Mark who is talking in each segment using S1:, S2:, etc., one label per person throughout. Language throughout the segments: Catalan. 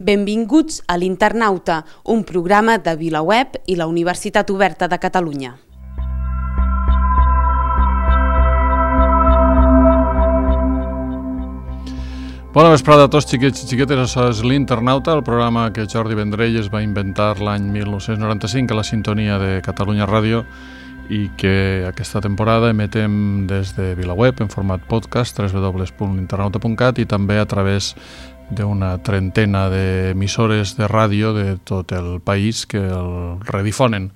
S1: Benvinguts a l'Internauta, un programa de VilaWeb i la Universitat Oberta de Catalunya.
S2: Bona vesprada a tots, xiquets i xiquetes. Això és l'Internauta, el programa que Jordi Vendrell es va inventar l'any 1995 a la sintonia de Catalunya Ràdio i que aquesta temporada emetem des de VilaWeb en format podcast, www.l'internauta.cat, i també a través d'una trentena d'emissores de ràdio de tot el país que el redifonen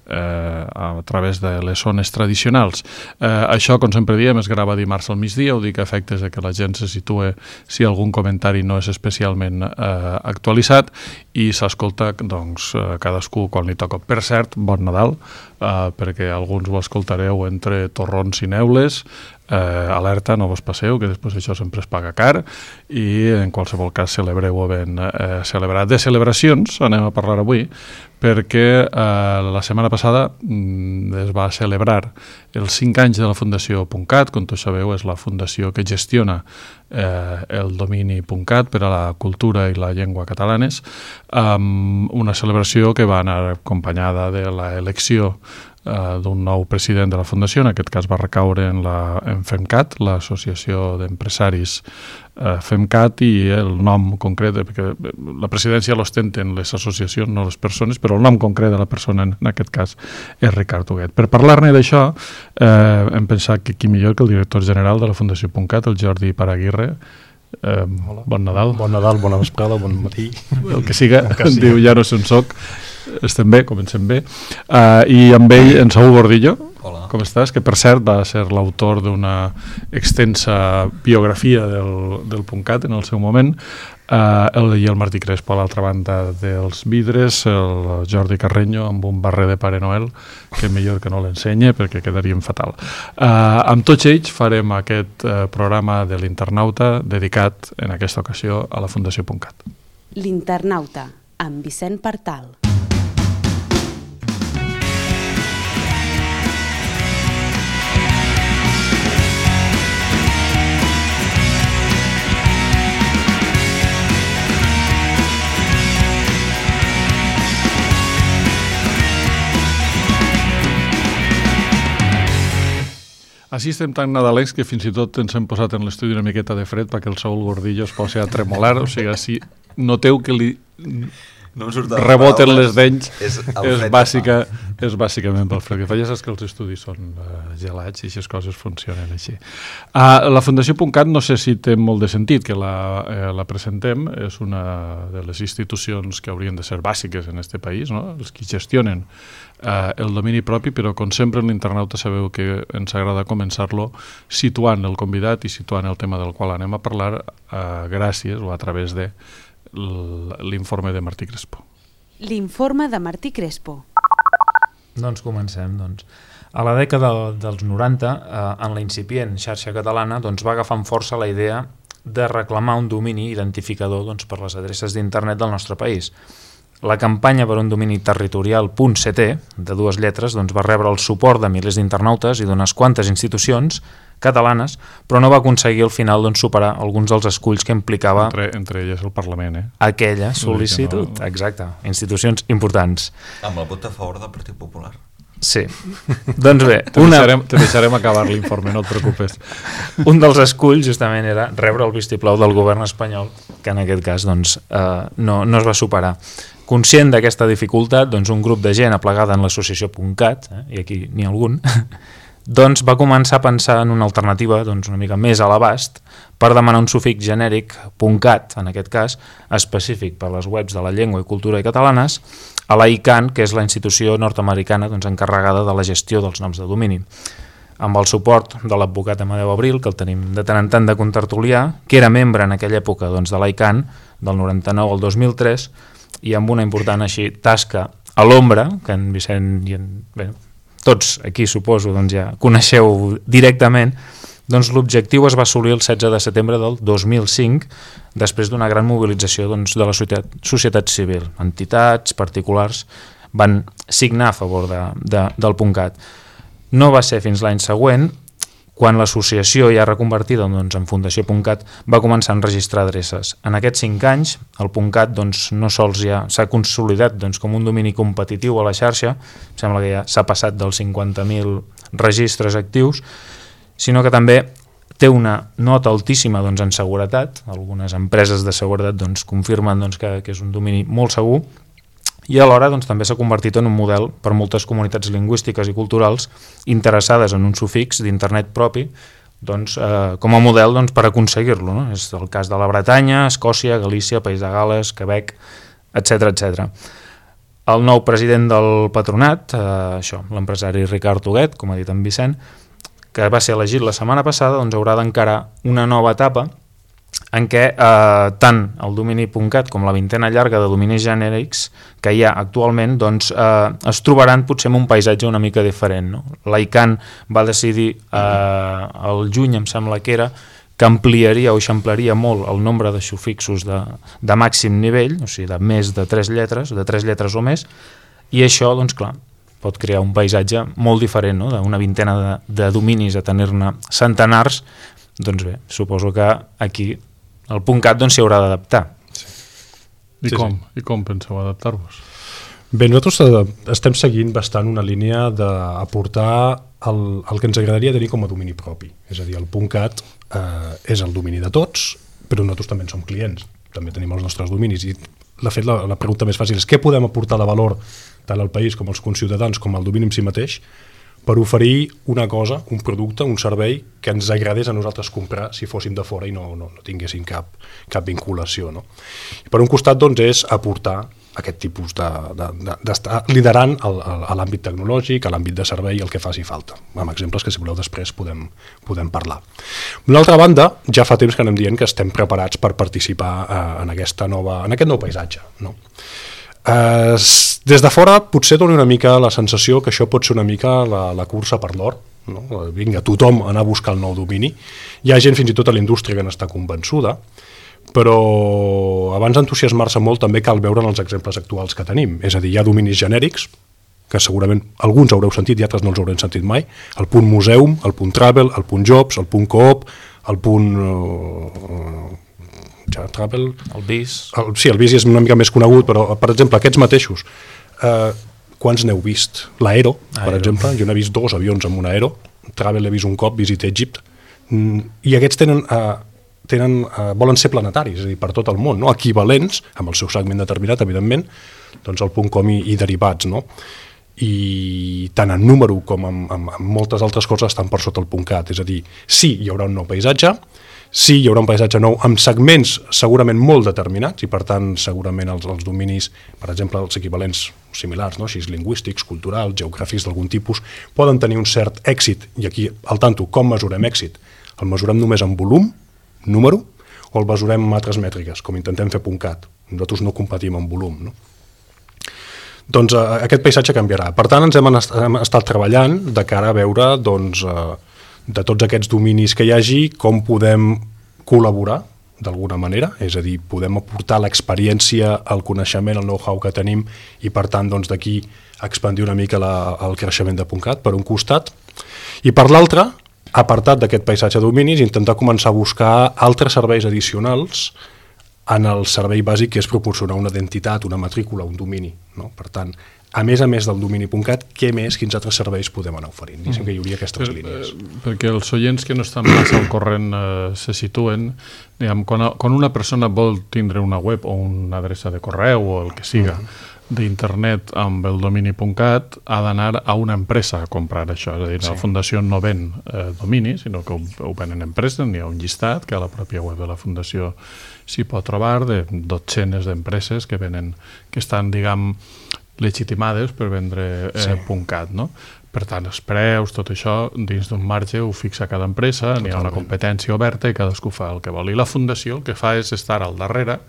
S2: a través de les zones tradicionals. Això, com sempre diem, es grava dimarts al migdia, ho dic a efectes de que la gent se situe si algun comentari no és especialment actualitzat, i s'escolta doncs, cadascú quan li toca. Per cert, bon Nadal, perquè alguns ho escoltareu entre torrons i neules. Alerta, no vos passeu, que després això sempre es paga car, i en qualsevol cas celebreu-ho ben celebrat. De celebracions anem a parlar avui, perquè la setmana passada es va celebrar els 5 anys de la Fundació .cat. Com tots sabeu, és la fundació que gestiona el domini .cat per a la cultura i la llengua catalanes, una celebració que va anar acompanyada de l'elecció d'un nou president de la Fundació. En aquest cas va recaure en FEMCAT, l'associació d'empresaris FEMCAT, i el nom concret, perquè la presidència l'ostenten les associacions, no les persones, però el nom concret de la persona en aquest cas és Ricard Huguet. Per parlar-ne d'això hem pensat que qui millor que el director general de la Fundació .cat, el Jordi Paraguirre. Bon Nadal.
S3: Bon Nadal, bona vesprada, bon matí.
S2: El que siga, diu ja no sé on soc. Estem bé, comencem bé. I amb ell, en Saúl Gordillo.
S4: Hola.
S2: Com estàs? Que per cert va ser l'autor d'una extensa biografia del .cat en el seu moment. I el Martí Crespo a l'altra banda dels vidres, el Jordi Carreño amb un barret de Pare Noel, que millor que no l'ensenye perquè quedaríem fatal. Amb tots ells farem aquest programa de l'Internauta dedicat en aquesta ocasió a la Fundació .cat.
S1: L'Internauta, amb Vicent Partal.
S2: Així estem tan nadalencs que fins i tot ens hem posat en l'estudi una miqueta de fred perquè el Saúl Gordillo es posi a tremolar. O sigui, si noteu que li reboten les dents, és bàsicament pel fred que fa. Ja saps que els estudis són gelats i aquestes coses funcionen així. La Fundació .cat no sé si té molt de sentit que la presentem. És una de les institucions que haurien de ser bàsiques en aquest país, no? Els que gestionen el domini propi, però com sempre en l'Internauta sabeu que ens agrada començar-lo situant el convidat i situant el tema del qual anem a parlar gràcies o a través de l'informe de Martí Crespo.
S1: L'informe de Martí Crespo.
S3: Doncs comencem. A la dècada dels 90, en la incipient xarxa catalana, va agafar amb força la idea de reclamar un domini identificador per les adreces d'internet del nostre país. La campanya per un domini territorial .ct, de 2 lletres, va rebre el suport de milers d'internautes i d'unes quantes institucions catalanes, però no va aconseguir al final superar alguns dels esculls que implicava
S2: entre elles el Parlament,
S3: aquella sol·licitud. No. Exacte, institucions importants.
S4: Amb el vot a favor del Partit Popular.
S3: Sí. Doncs bé,
S2: te deixarem acabar l'informe, no et preocupes.
S3: Un dels esculls justament era rebre el vistiplau del govern espanyol, que en aquest cas no es va superar. Conscient d'aquesta dificultat, un grup de gent aplegada en l'associació .cat, i aquí n'hi ha algun, va començar a pensar en una alternativa una mica més a l'abast per demanar un sufix genèric .cat, en aquest cas, específic per les webs de la llengua i cultura catalanes, a la ICANN, que és la institució nord-americana encarregada de la gestió dels noms de domini. Amb el suport de l'advocat Amadeu Abril, que el tenim de tant en tant de contertulià, que era membre en aquella època de la ICANN, del 99 al 2003, i amb una important tasca a l'ombra, que en Vicent i tots aquí suposo ja coneixeu directament, l'objectiu es va assolir el 16 de setembre del 2005, després d'una gran mobilització de la societat civil. Entitats, particulars, van signar a favor del .cat. No va ser fins l'any següent quan l'associació ja reconvertida doncs, en Fundació.cat va començar a enregistrar adreces. En aquests 5 anys, el .cat doncs, no sols ja s'ha consolidat doncs, com un domini competitiu a la xarxa, sembla que ja s'ha passat dels 50.000 registres actius, sinó que també té una nota altíssima doncs, en seguretat. Algunes empreses de seguretat doncs, confirmen doncs, que és un domini molt segur, i alhora doncs, també s'ha convertit en un model per moltes comunitats lingüístiques i culturals interessades en un sufix d'internet propi doncs, com a model doncs, per aconseguir-lo. No? És el cas de la Bretanya, Escòcia, Galícia, País de Gales, Quebec, etc etc. El nou president del patronat, l'empresari Ricard Huguet, com ha dit en Vicent, que va ser elegit la setmana passada, doncs, haurà d'encarar una nova etapa en què tant el domini.cat com la vintena llarga de dominis genèrics que hi ha actualment doncs, es trobaran potser en un paisatge una mica diferent. No? L'ICANN va decidir el juny, em sembla que era, que ampliaria o eixamplaria molt el nombre de sufixos de màxim nivell, o sigui, de més de 3 lletres o més, i això, doncs clar, pot crear un paisatge molt diferent, no? D'una vintena de dominis a tenir-ne centenars. Doncs bé, suposo que aquí el .cat doncs, s'hi haurà d'adaptar.
S2: Sí. I com penseu adaptar-vos?
S5: Bé, nosaltres estem seguint bastant una línia d'aportar el que ens agradaria tenir com a domini propi. És a dir, el .cat és el domini de tots, però nosaltres també en som clients, també tenim els nostres dominis. I de fet, la pregunta més fàcil és què podem aportar de valor tant al país com als conciutadans com al domini en si mateix per oferir una cosa, un producte, un servei que ens agradés a nosaltres comprar si fóssim de fora i no tinguéssim cap vinculació. No? I per un costat doncs, és aportar aquest tipus d'estar liderant a l'àmbit tecnològic, a l'àmbit de servei, el que faci falta, amb exemples que si voleu després podem parlar. D'una altra banda, ja fa temps que anem dient que estem preparats per participar en aquest nou paisatge. No? Des de fora potser dona una mica la sensació que això pot ser una mica la cursa per l'or, no? Vinga, tothom anar a buscar el nou domini. Hi ha gent fins i tot a la indústria que n'està convençuda, però abans d'entusiasmar-se molt també cal veure els exemples actuals que tenim. És a dir, hi ha dominis genèrics, que segurament alguns haureu sentit i altres no els haurem sentit mai, el .museum, el .travel, el .jobs, el .coop, el .travel...
S3: El BIS.
S5: Sí, el BIS és una mica més conegut, però, per exemple, aquests mateixos, quants n'heu vist? L'Aero, per exemple, jo n'he vist 2 avions amb un Aero, Travel l'he vist un cop, Visit Egypt, i aquests volen ser planetaris, és a dir, per tot el món, no? Equivalents, amb el seu segment determinat, evidentment, doncs el .com i derivats, no? I tant en número com en moltes altres coses estan per sota el .cat, és a dir, sí, hi haurà un nou paisatge, sí, hi haurà un paisatge nou amb segments segurament molt determinats i per tant segurament els dominis, per exemple els equivalents similars, no? Així lingüístics, culturals, geogràfics d'algun tipus, poden tenir un cert èxit, i aquí al tanto, com mesurem èxit? El mesurem només en volum, número, o el mesurem amb altres mètriques, com intentem fer .cat? Nosaltres no competim en volum, no? Doncs aquest paisatge canviarà. Per tant, ens hem estat treballant de cara a veure doncs, de tots aquests dominis que hi hagi, com podem col·laborar d'alguna manera, és a dir, podem aportar l'experiència, el coneixement, el know-how que tenim i per tant doncs, d'aquí expandir una mica el creixement de .cat per un costat, i per l'altre, apartat d'aquest paisatge de dominis, intentar començar a buscar altres serveis addicionals en el servei bàsic que és proporcionar una identitat, una matrícula, un domini. No? Per tant, a més del domini.cat, quins altres serveis podem anar oferint? Diguem que hi hauria aquestes línies.
S2: Perquè els oients que no estan massa al corrent se situen, diguem, quan una persona vol tindre una web o una adreça de correu o el que siga d'internet amb el domini.cat, ha d'anar a una empresa a comprar això. És a dir, la Fundació no ven domini, sinó que ho venen empreses, n'hi ha un llistat que a la pròpia web de la Fundació s'hi pot trobar de dotzenes d'empreses que estan, diguem, legitimades per vendre .cat, no? Per tant, els preus, tot això, dins d'un marge ho fixa cada empresa, n'hi ha una competència oberta i cadascú fa el que vol. I la Fundació el que fa és estar al darrere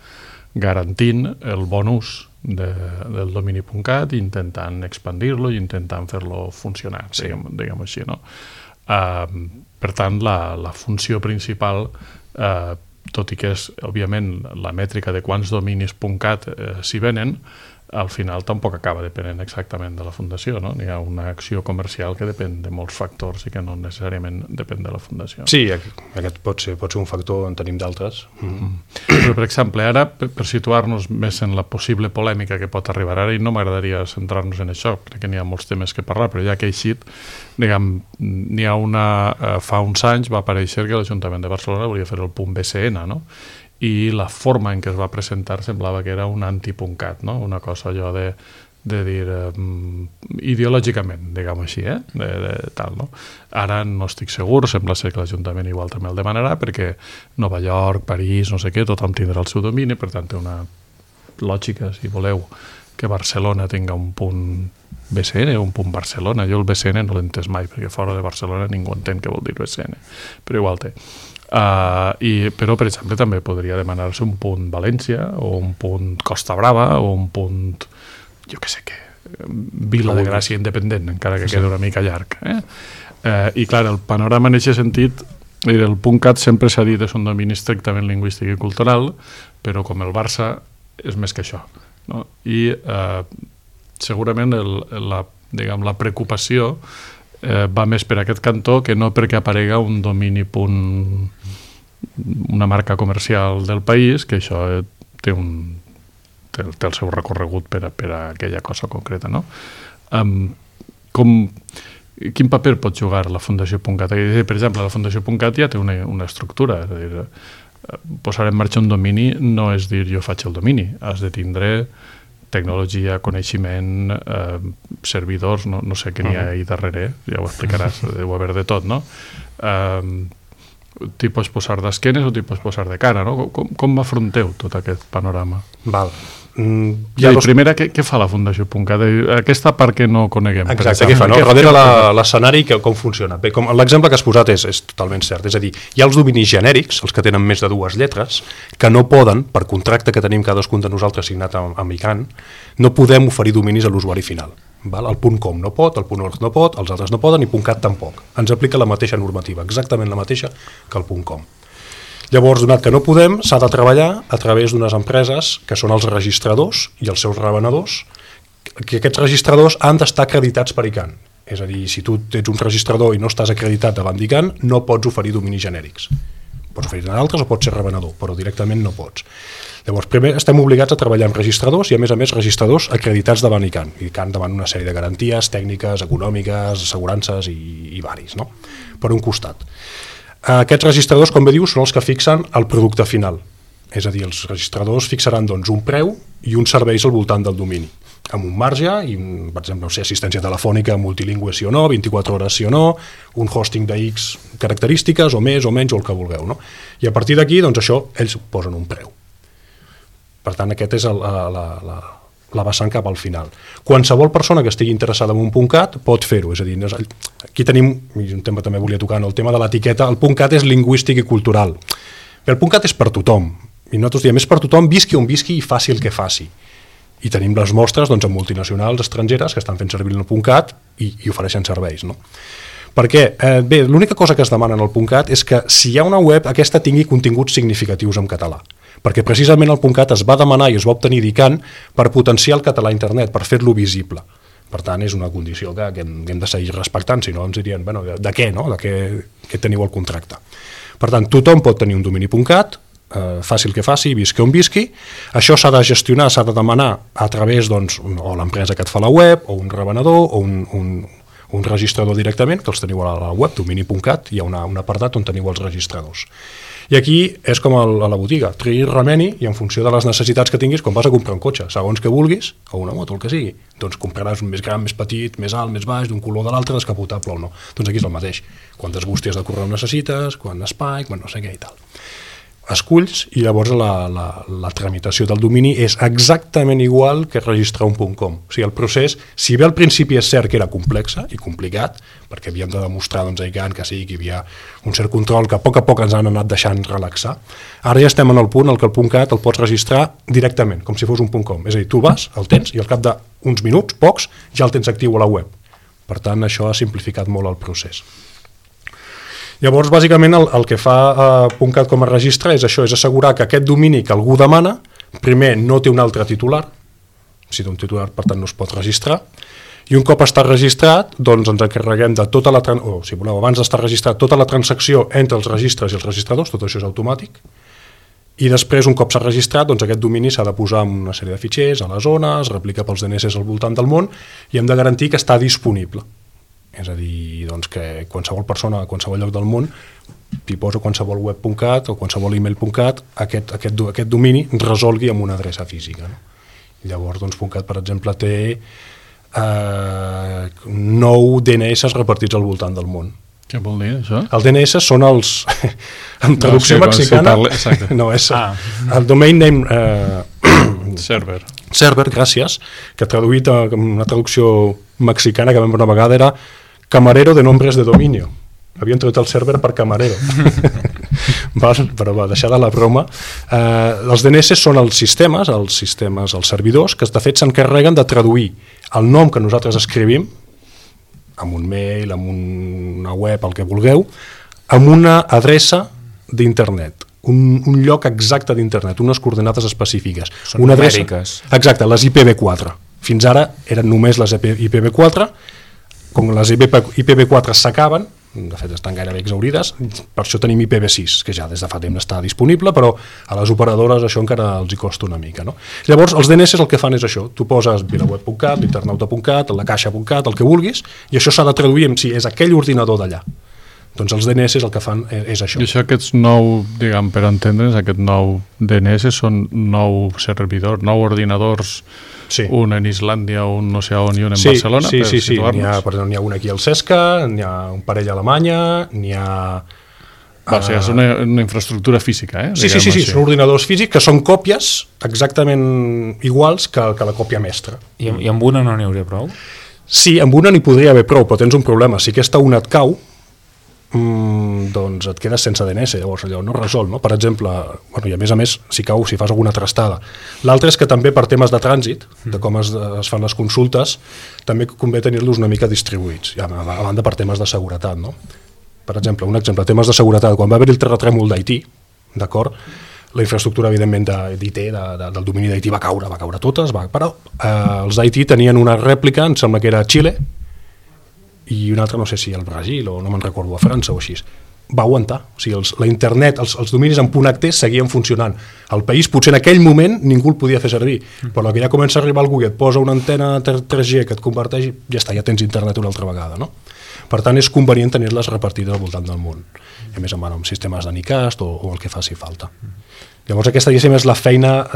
S2: garantint el bon ús del domini.cat i intentant expandir-lo i intentant fer-lo funcionar, diguem així, no? Per tant, la funció principal, tot i que és, òbviament, la mètrica de quants dominis .cat s'hi venen, al final tampoc acaba depenent exactament de la fundació, no? Hi ha una acció comercial que depèn de molts factors i que no necessàriament depèn de la fundació.
S5: Sí, aquest pot ser un factor, en tenim d'altres.
S2: Però, per exemple, ara, per situar-nos més en la possible polèmica que pot arribar ara, i no m'agradaria centrar-nos en això, crec que n'hi ha molts temes que parlar, però ja que he eixit, diguem, n'hi ha fa uns anys va aparèixer que l'Ajuntament de Barcelona volia fer el punt BCN, no? I la forma en què es va presentar semblava que era un anti-puncat, no? Una cosa allò de dir ideològicament, diguem-ho així, tal, no? Ara no estic segur, sembla ser que l'Ajuntament igual també el demanarà, perquè Nova York, París, no sé què, tothom tindrà el seu domini, per tant té una lògica, si voleu, que Barcelona tinga un punt BCN o un punt Barcelona. Jo el BCN no l'he entès mai, perquè fora de Barcelona ningú entén què vol dir BCN, però igual té. Però, per exemple, també podria demanar-se un punt València o un punt Costa Brava o un punt, jo què sé què, Vila de Gràcia Independent, encara que queda una mica llarg. I, clar, el panorama en aquest sentit, el .cat sempre s'ha dit és un domini estrictament lingüístic i cultural, però com el Barça és més que això, no? I segurament la preocupació va més per aquest cantó que no perquè aparega un domini una marca comercial del país, que això té el seu recorregut per a aquella cosa concreta, no? Quin paper pot jugar la Fundació .cat? Per exemple, la Fundació .cat ja té una estructura, és a dir, posar en marxa un domini no és dir jo faig el domini, has de tindre tecnologia, coneixement, servidors, no sé què n'hi ha ahí darrere, ja ho explicaràs, deu haver de tot, no? T'hi pots posar d'esquenes o t'hi pots posar de cara, no? Com afronteu tot aquest panorama?
S5: Val.
S2: Primera, què fa la Fundació .cat? Aquesta part que no coneguem.
S5: Exacte, què fa? Darrere l'escenari, com funciona? Bé, l'exemple que has posat és totalment cert, és a dir, hi ha els dominis genèrics, els que tenen més de 2 lletres, que no poden, per contracte que tenim cadascun de nosaltres signat amb ICANN, no podem oferir dominis a l'usuari final. El .com no pot, el .org no pot, els altres no poden i .cat tampoc. Ens aplica la mateixa normativa, exactament la mateixa que el .com. Llavors, donat que no podem, s'ha de treballar a través d'unes empreses que són els registradors i els seus revenedors, que aquests registradors han d'estar acreditats per ICANN. És a dir, si tu ets un registrador i no estàs acreditat davant d'ICANN, no pots oferir dominis genèrics. Pots oferir-ne altres o pots ser revenedor, però directament no pots. Llavors, primer estem obligats a treballar amb registradors i, a més, registradors acreditats davant ICANN. ICANN davant una sèrie de garanties tècniques, econòmiques, assegurances i varis, no? Per un costat. Aquests registradors, com bé dius, són els que fixen el producte final. És a dir, els registradors fixaran un preu i uns serveis al voltant del domini, amb un marge, i, per exemple, assistència telefònica multilingüe sí o no, 24 hores sí o no, un hosting de X característiques, o més o menys, o el que vulgueu, no? I a partir d'aquí, això, ells posen un preu. Per tant, aquest és la vessant cap al final. Qualsevol persona que estigui interessada en un .cat pot fer-ho, és a dir, aquí tenim, i un tema també volia tocar, el tema de l'etiqueta, el .cat és lingüístic i cultural. El .cat és per tothom, i nosaltres diem, és per tothom, visqui on visqui i faci el que faci. I tenim les mostres amb multinacionals estrangeres que estan fent servir el .cat i ofereixen serveis, no? Perquè, bé, l'única cosa que es demana en el .cat és que si hi ha una web, aquesta tingui continguts significatius en català. Perquè precisament el .cat es va demanar i es va obtenir d'ICANN per potenciar el català a internet, per fer-lo visible. Per tant, és una condició que hem de seguir respectant, si no ens dirien, bueno, de què, no? De què teniu al contracte. Per tant, tothom pot tenir un domini .cat, faci el que faci, visqui on visqui. Això s'ha de gestionar, s'ha de demanar a través, o l'empresa que et fa la web, o un revenedor, o un registrador directament, que els teniu a la web, domini.cat, hi ha un apartat on teniu els registradors. I aquí és com a la botiga, triï, remeni, i en funció de les necessitats que tinguis, quan vas a comprar un cotxe, segons que vulguis, o una moto, el que sigui, doncs compraràs un més gran, més petit, més alt, més baix, d'un color de l'altre, descapotable o no. Doncs aquí és el mateix. Quantes bústies de correu necessites, quant espai, quan no sé què i tal. Esculls i llavors la tramitació del domini és exactament igual que registrar un .com. O sigui, el procés, si bé al principi és cert que era complexa i complicat, perquè havíem de demostrar a ICANN que sí, que hi havia un cert control que a poc ens han anat deixant relaxar, ara ja estem en el punt en què el .cat el pots registrar directament, com si fos un .com. És a dir, tu vas, el tens, i al cap d'uns minuts, pocs, ja el tens actiu a la web. Per tant, això ha simplificat molt el procés. Llavors, bàsicament, el que fa .cat com a registre és això, és assegurar que aquest domini que algú demana, primer, no té un altre titular, si d'un titular, per tant, no es pot registrar. I un cop està registrat, doncs ens encarreguem de tota la... si voleu, abans d'estar registrat, tota la transacció entre els registres i els registradors, tot això és automàtic, i després, un cop s'ha registrat, doncs aquest domini s'ha de posar en una sèrie de fitxers a la zona, es replica pels DNS al voltant del món, i hem de garantir que està disponible. És a dir, doncs, que qualsevol persona a qualsevol lloc del món, hi posa qualsevol web.cat o qualsevol email.cat, aquest domini resolgui amb una adreça física. No? Llavors, doncs, .cat, per exemple, té 9 DNS repartits al voltant del món.
S2: Què vol dir, això?
S5: Els DNS són els... en traducció mexicana... No, és el domain name... Server, gràcies, que traduït en una traducció mexicana que vam veure una vegada era camarero de nombres de dominio. Havien traduït el server per camarero. Però va, deixar de la broma. Els DNS són els sistemes, els servidors, que de fet s'encarreguen de traduir el nom que nosaltres escrivim, amb un mail, amb una web, el que vulgueu, amb una adreça d'internet, un lloc exacte d'internet, unes coordinades específiques.
S3: Són numèriques.
S5: Exacte, les IPv4. Fins ara eren només les IPv4, com les IPv4 s'acaben, de fet estan gairebé exaurides, per això tenim IPv6, que ja des de fa temps està disponible, però a les operadores això encara els hi costa una mica. No? Llavors, els DNS el que fan és això, tu poses vilaweb.cat, l'internauta.cat, la caixa.cat, el que vulguis, i això s'ha de traduir en si és aquell ordinador d'allà. Doncs els DNS el que fan és això.
S2: I això, aquests 9, diguem, per entendre'ns, aquests 9 DNS són 9 servidors, 9 ordinadors, sí. Un en Islàndia, un no sé on i un en Barcelona,
S5: sí,
S2: per situar-nos?
S5: N'hi ha un aquí al CESCA, n'hi ha un parell a Alemanya, n'hi ha...
S2: O sigui, és una infraestructura física, eh?
S5: Sí, són ordinadors físics que són còpies exactament iguals que la còpia mestra.
S3: I amb una no n'hi hauria prou?
S5: Sí, amb una n'hi podria haver prou, però tens un problema. Si aquesta una et cau, doncs et quedes sense DNS, llavors allò no resol, no? Per exemple, bueno, i a més, si fas alguna trastada. L'altre és que també per temes de trànsit, de com es fan les consultes, també convé tenir-los una mica distribuïts, a banda per temes de seguretat, no? Per exemple, temes de seguretat, quan va haver el terratrèmol d'Haití, d'acord, la infraestructura, evidentment, d'IT, del domini d'Haití va caure totes, però els d'Haití tenien una rèplica, em sembla que era a Xile, i un altre no sé si al Brasil o no me'n recordo, a França o així, va aguantar. O sigui, la internet, els dominis en .ht seguien funcionant. Al país potser en aquell moment ningú el podia fer servir, però que ja comença a arribar algú i et posa una antena 3G que et converteix, ja està, ja tens internet una altra vegada, no? Per tant, és convenient tenir-les repartides al voltant del món. I a més amb sistemes de Nicast o el que faci falta. Llavors aquesta, diguéssim, és la feina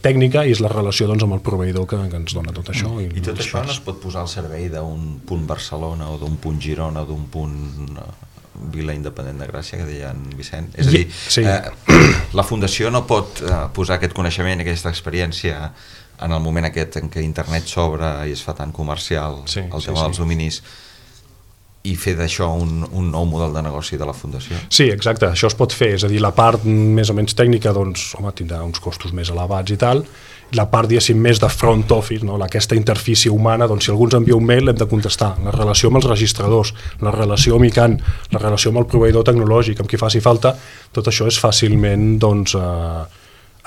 S5: tècnica i és la relació doncs, amb el proveïdor que ens dona tot això.
S4: I tot això no es pot posar al servei d'un punt Barcelona o d'un punt Girona o d'un punt Vila Independent de Gràcia, que deia en Vicent? És a dir, sí. La Fundació no pot posar aquest coneixement, aquesta experiència en el moment aquest en què internet s'obre i es fa tan comercial, el tema dels dominis, i fer d'això un nou model de negoci de la Fundació? Sí, exacte, això es pot fer, és a dir, la part més o menys tècnica doncs, tindrà uns costos més elevats i tal, la part, diguéssim, més de front office, no? Aquesta interfície humana, doncs si algú ens envia un mail l'hem de contestar, la relació amb els registradors, la relació amb ICANN, la relació amb el proveïdor tecnològic, amb qui faci falta, tot això és fàcilment doncs,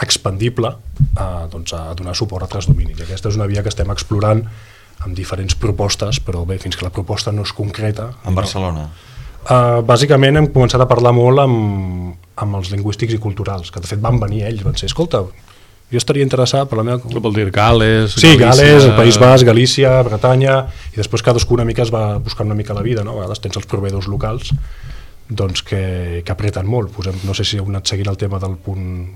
S4: expandible a donar suport a altres dominis. Aquesta és una via que estem explorant amb diferents propostes, però bé, fins que la proposta no és concreta... En Barcelona?
S5: Bàsicament hem començat a parlar molt amb els lingüístics i culturals, que de fet van venir ells, van ser, escolta, jo estaria interessat per la meva...
S2: Què vol dir, Gales,
S5: sí, Galícia... Gales, el País Basc, Galícia, Bretanya, i després cadascú una mica es va buscant una mica la vida, no? A vegades tens els proveïdors locals doncs, que apreten molt. No sé si heu anat seguint el tema del punt...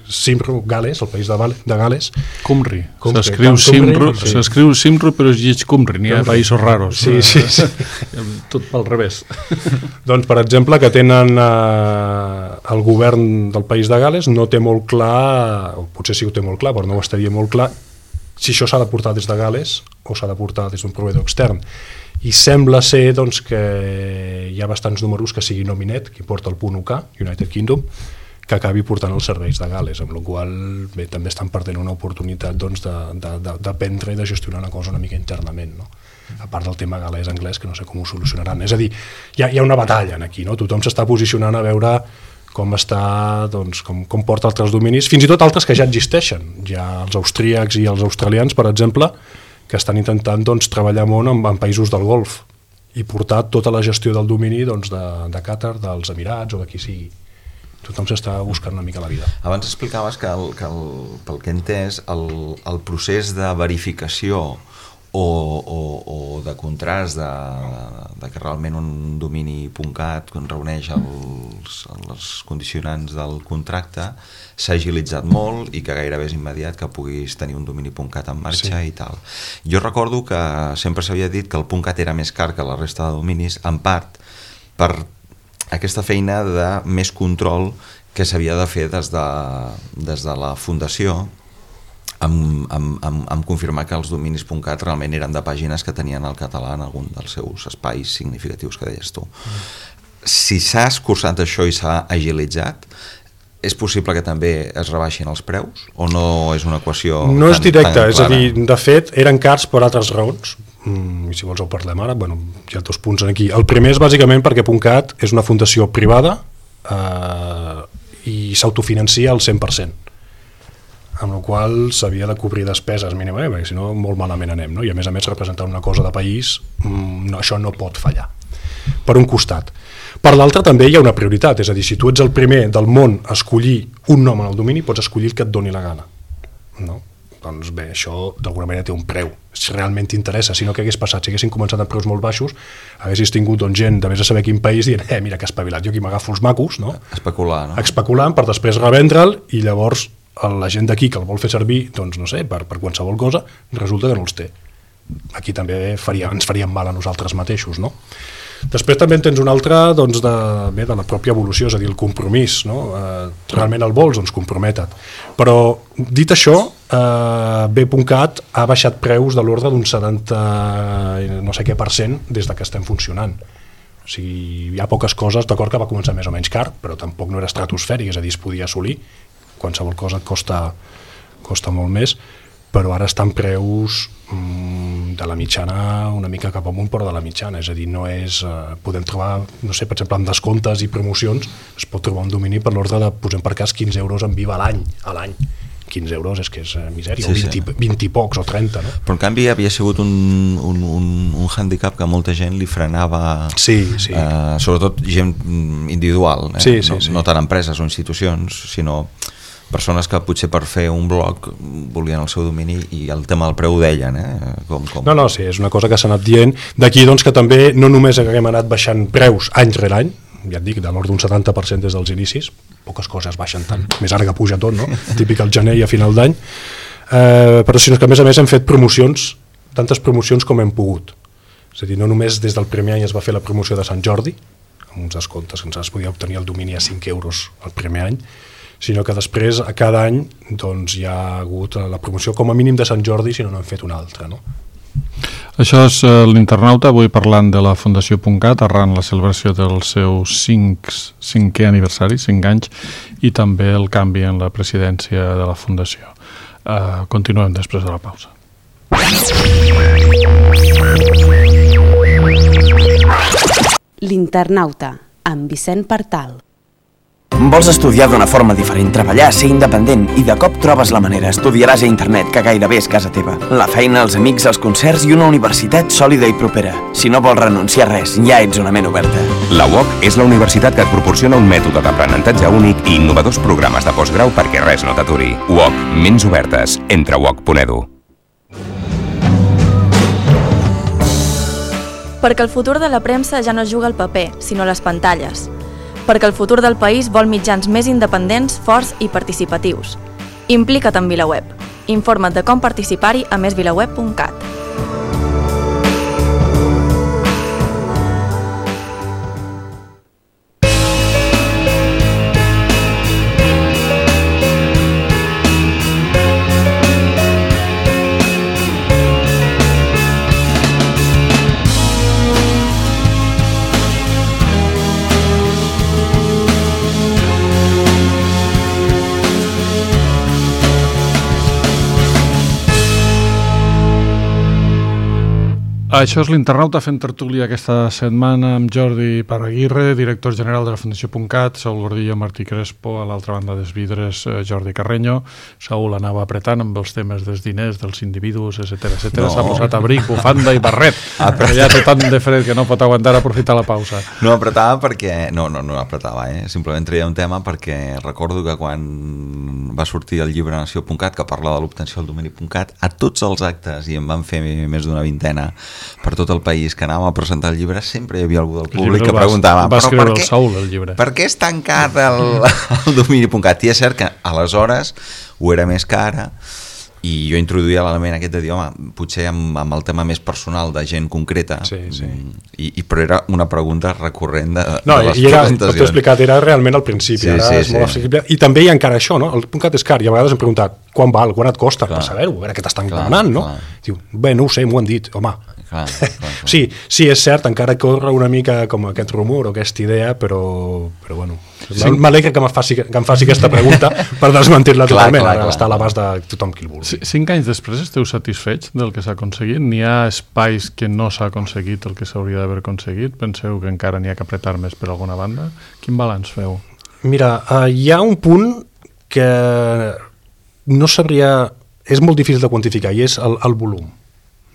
S5: Simru, Gales, el país de Gales.
S2: Cumri. S'escriu Simru però es llig Cumri, n'hi ha països raros.
S5: Sí.
S2: Tot pel revés.
S5: Doncs, per exemple, que tenen el govern del país de Gales no té molt clar, o potser sí ho té molt clar, però no ho estaria molt clar, si això s'ha de portar des de Gales o s'ha de portar des d'un proveïdor extern. I sembla ser doncs, que hi ha bastants números que sigui Nominet, qui porta el punt UK, United Kingdom, que acabi portant els serveis de Gales, amb la qual cosa també estan perdent una oportunitat doncs, d'aprendre i de gestionar una cosa una mica internament, no? A part del tema galès-anglès, que no sé com ho solucionaran. És a dir, hi ha una batalla aquí, no? Tothom s'està posicionant a veure com està, doncs, com porta altres dominis, fins i tot altres que ja existeixen. Hi ha els austríacs i els australians, per exemple, que estan intentant doncs, treballar molt en països del Golf i portar tota la gestió del domini doncs, de Qatar, dels Emirats o de qui sigui. Tothom s'està buscant una mica la vida.
S4: Abans explicaves que pel que he entès, el procés de verificació o de contrast de que realment un domini .cat reuneix els condicionants del contracte s'ha agilitzat molt i que gairebé és immediat que puguis tenir un domini .cat en marxa i tal. Jo recordo que sempre s'havia dit que el .cat era més car que la resta de dominis, en part per aquesta feina de més control que s'havia de fer des de la fundació amb confirmar que els dominis .cat realment eren de pàgines que tenien el català en algun dels seus espais significatius que deies tu. Si s'ha escurçat això i s'ha agilitzat, és possible que també es rebaixin els preus o no és una equació
S5: no és directa,
S4: tan
S5: és a dir, de fet eren cars per altres raons i si vols ho parlem ara, bueno, hi ha 2 punts aquí. El primer és bàsicament perquè .cat és una fundació privada i s'autofinancia al 100%, amb la qual s'havia de cobrir despeses mínimament, perquè si no molt malament anem, no? I a més representar una cosa de país, això no pot fallar, per un costat. Per l'altre també hi ha una prioritat, és a dir, si tu ets el primer del món a escollir un nom en el domini, pots escollir el que et doni la gana, no? Doncs bé, això d'alguna manera té un preu, si realment t'interessa. Si no, què hagués passat? Si haguessin començat amb preus molt baixos, haguessis tingut doncs, gent de vés a saber quin país dient, mira que espavilat, jo aquí m'agafo els macos, no?
S4: Especular, no?
S5: Especulant per després revendre'l i llavors la gent d'aquí que el vol fer servir, doncs no sé, per qualsevol cosa, resulta que no els té. Aquí també ens faríem mal a nosaltres mateixos, no? Després també en tens un altre doncs, de la pròpia evolució, és a dir, el compromís, no? Realment el vols, doncs compromete't. Però, dit això, B.cat ha baixat preus de l'ordre d'un 70 no sé què % des que estem funcionant. O sigui, hi ha poques coses, d'acord que va començar més o menys car, però tampoc no era estratosfèric, és a dir, es podia assolir, qualsevol cosa et costa molt més, però ara estan preus de la mitjana una mica cap amunt, però de la mitjana, és a dir, no és, podem trobar, no sé, per exemple, amb descomptes i promocions, es pot trobar un domini per l'ordre de, posem per cas, 15 euros en Viva a l'any. 15 euros és que és misèria, sí, o 20 i pocs, o 30, no?
S4: Però en canvi havia sigut un hàndicap que molta gent li frenava, sobretot gent individual, no tant empreses o institucions, sinó persones que potser per fer un blog volien el seu domini i el tema del preu ho deien,
S5: No, sí, és una cosa que s'ha anat dient. D'aquí doncs que també no només haguem anat baixant preus any rere any, ja et dic, de l'ordre d'un 70% des dels inicis, poques coses baixen tant, més ara que puja tot, no? Típic al gener i a final d'any, però sinó que a més hem fet promocions, tantes promocions com hem pogut. És a dir, no només des del primer any es va fer la promoció de Sant Jordi, amb uns descomptes que ens podia obtenir el domini a 5 euros el primer any, sinó que després a cada any doncs, hi ha hagut la promoció com a mínim de Sant Jordi, si no n'han fet una altra, no?
S2: Això és l'Internauta, avui parlant de la Fundació .cat, arran la celebració del seu 5è aniversari, 5 anys, i també el canvi en la presidència de la Fundació. Continuem després de la pausa.
S1: L'Internauta, amb Vicent Partal.
S6: Vols estudiar d'una forma diferent, treballar, ser independent i de cop trobes la manera, estudiaràs a internet, que gairebé és casa teva. La feina, els amics, els concerts i una universitat sòlida i propera. Si no vols renunciar a res, ja ets una ment oberta.
S7: La UOC és la universitat que et proporciona un mètode d'aprenentatge únic i innovadors programes de postgrau perquè res no t'aturi. UOC, ments obertes. Entra a uoc.edu.
S8: Perquè el futur de la premsa ja no juga al paper, sinó a les pantalles. Perquè el futur del país vol mitjans més independents, forts i participatius. Implica't en VilaWeb. Informa't de com participar-hi a mesvilaweb.cat.
S2: Això és l'Internauta fent tertúlia aquesta setmana amb Jordi Paraguirre, director general de la Fundació .cat, Saúl Gordillo, Martí Crespo, a l'altra banda dels vidres Jordi Carreño. Saúl anava apretant amb els temes dels diners, dels individus, etc. No. S'ha posat abric, bufanda i barret, però ja té tant de fred que no pot aguantar aprofitar la pausa.
S4: No apretava perquè... No apretava, simplement treia un tema perquè recordo que quan va sortir el llibre Nació.cat, que parla de l'obtenció del domini .cat, a tots els actes, i en van fer més d'una vintena, per tot el país que anàvem a presentar el llibre, sempre hi havia algú del públic que preguntava per què és tan car el domini.cat? I és cert que aleshores ho era més que ara, i jo introduïa l'element aquest de dir, home, potser amb el tema més personal de gent concreta, però era una pregunta recurrent de les presentacions.
S5: T'ho he explicat, era realment al principi, ara és molt accessible, i també hi ha encara això, no? El .cat és car, i a vegades hem preguntat quan val, quan et costa, per saber-ho, a veure què t'estan demanant, no? Diu, bé, no ho sé, m'ho han dit, home. Sí, és cert, encara corre una mica com aquest rumor o aquesta idea, però bueno, m'alegra que em faci aquesta pregunta per desmentir-la totalment, ara està a l'abast de tothom qui el vulgui.
S2: 5 anys després esteu satisfets del que s'ha aconseguit? N'hi ha espais que no s'ha aconseguit el que s'hauria d'haver aconseguit? Penseu que encara n'hi ha que apretar més per alguna banda? Quin balanç feu?
S5: Mira, hi ha un punt que no sabria... És molt difícil de quantificar i és el volum,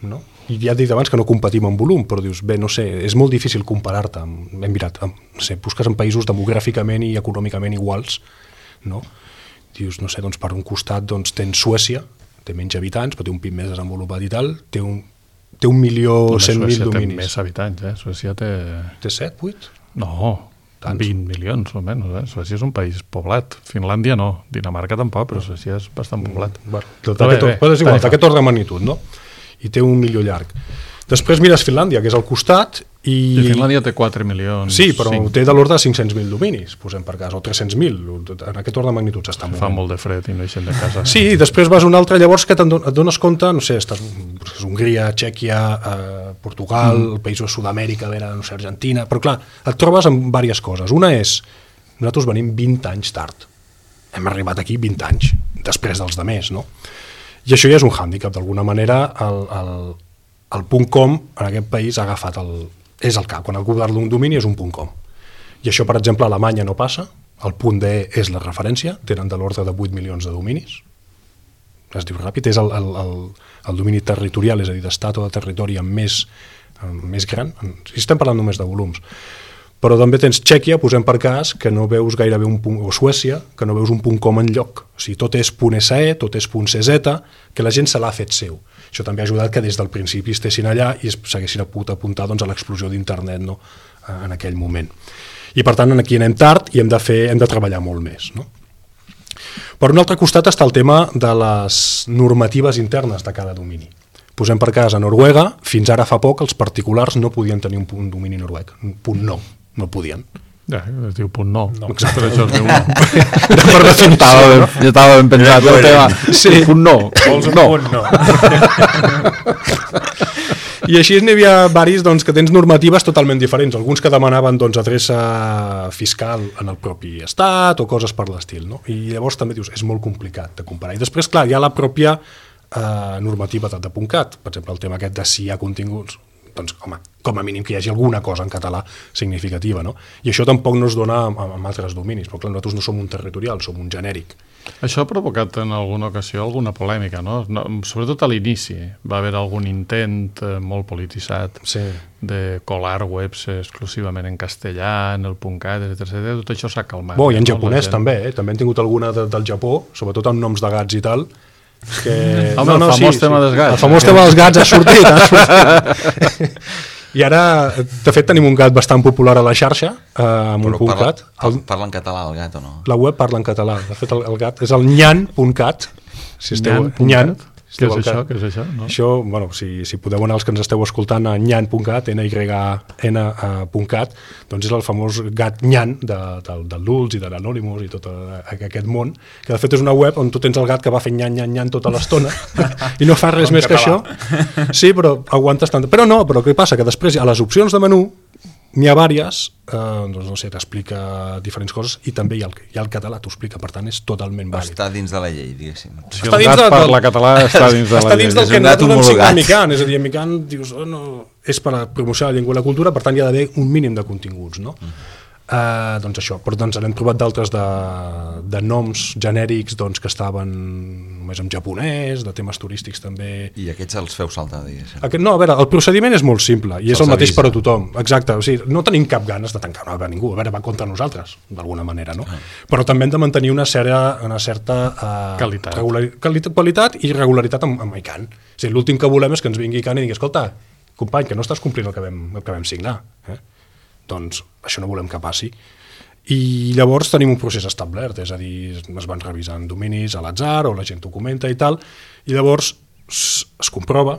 S5: no? I ja he dit abans que no competim en volum, però dius, bé, no sé, és molt difícil comparar-te, hem mirat, no sé, busques en països demogràficament i econòmicament iguals, no? Dius, no sé, doncs per un costat doncs, tens Suècia, té menys habitants, però té un PIB més desenvolupat i tal, té 1.100.000 dominis.
S2: Suècia té més habitants, Suècia té...
S5: Té 7, 8?
S2: No, 20 milions o menys, Suècia és un país poblat, Finlàndia no, Dinamarca tampoc, però Suècia és bastant poblat.
S5: Però és igual, d'aquest ordre de magnitud, no? I té un milió llarg. Després mires Finlàndia, que és al costat, i
S2: Finlàndia té 4 milions.
S5: Sí, però té de l'ordre de 500.000 dominis, posem per cas, o 300.000, en aquest ordre de magnitud s'està movent.
S2: Fa molt de fred i no eixen de casa.
S5: Sí, després vas a un altre, llavors que et dones compte, no sé, estàs Hongria, Txèquia, Portugal, països de Sud-amèrica, no sé, Argentina, però clar, et trobes amb diverses coses. Una és, nosaltres venim 20 anys tard. Hem arribat aquí 20 anys, després dels demés, no? I això ja és un hàndicap, d'alguna manera el .com en aquest país ha agafat és el cap, quan el govern d'un domini és un .com. I això, per exemple, a Alemanya no passa, el .de és la referència, tenen de l'ordre de 8 milions de dominis, es diu ràpid, és el domini territorial, és a dir, d'estat o de territori més gran, si estem parlant només de volums. Però també tens Txèquia, posem per cas, que no veus gairebé o Suècia, que no veus un .com enlloc. O sigui, tot és .se, tot és .cz, que la gent se l'ha fet seu. Això també ha ajudat que des del principi estessin allà i s'haguessin pogut apuntar doncs, a l'explosió d'internet, no? En aquell moment. I per tant, aquí anem tard i hem de treballar molt més, no? Per un altre costat està el tema de les normatives internes de cada domini. Posem per cas a Noruega, fins ara fa poc els particulars no podien tenir un domini noruec, un .no. No podien.
S2: Ja, es diu .no.
S5: Exacte.
S2: Per això es diu no. Ja estava ben pensat el tema. Sí. .no.
S3: Vols un .no.
S5: I així n'hi havia varis doncs, que tens normatives totalment diferents. Alguns que demanaven doncs, adreça fiscal en el propi estat o coses per l'estil. No? I llavors també dius, és molt complicat de comparar. I després, clar, hi ha la pròpia normativa de .cat. Per exemple, el tema aquest de si hi ha continguts, doncs, home, com a mínim que hi hagi alguna cosa en català significativa, no? I això tampoc no es dona amb altres dominis, però clar, nosaltres no som un territorial, som un genèric.
S2: Això ha provocat en alguna ocasió alguna polèmica, no? Sobretot a l'inici va haver algun intent molt polititzat de colar webs exclusivament en castellà, en el .cat, etc. Tot això s'ha calmat.
S5: I en japonès també, també han tingut alguna del Japó, sobretot amb noms de gats i tal, que...
S2: Home, el famós tema dels gats.
S5: El famós tema dels gats ha sortit. I ara, de fet, tenim un gat bastant popular a la xarxa, amb un .cat.
S4: Parla en català el gat o no?
S5: La web parla en català. De fet, el gat és el nyan.cat. Nyan.
S2: Què és això? Què és això? No?
S5: Això, bueno, si podeu anar els que ens esteu escoltant a nyan.cat, nyn.cat, doncs és el famós gat Nyan del Dulç i de l'Anonymous i tot aquest món, que de fet és una web on tu tens el gat que va fent nyan tota l'estona i no fa res més que això. Sí, però aguantes tant. Però no, però què passa? Que després a les opcions de menú N'hi ha diverses, doncs no sé, t'explica diferents coses, i també hi ha el català, t'ho explica, per tant és totalment vàlid.
S4: Està dins de la llei, diguéssim.
S2: Si el gat parla català, està dins de la llei.
S5: Està dins del que nosaltres vam signar a Mican, és a dir, a Mican dius, és per promocionar la llengua i la cultura, per tant hi ha d'haver un mínim de continguts, no? Doncs això, però doncs n'hem trobat d'altres de noms genèrics que estaven només en japonès, de temes turístics també.
S4: I aquests els feu saltar, diguéssim?
S5: No, a veure, el procediment és molt simple i és el mateix per a tothom, exacte, o sigui, no tenim cap ganes de tancar a ningú, a veure, va contra nosaltres, d'alguna manera, no? Però també hem de mantenir una certa qualitat i regularitat amb ICANN. O sigui, l'últim que volem és que ens vingui ICANN i digui, escolta, company, que no estàs complint el que vam signar, doncs això no volem que passi. I llavors tenim un procés establert, és a dir, es van revisant dominis a l'atzar o la gent ho comenta i tal, i llavors es comprova,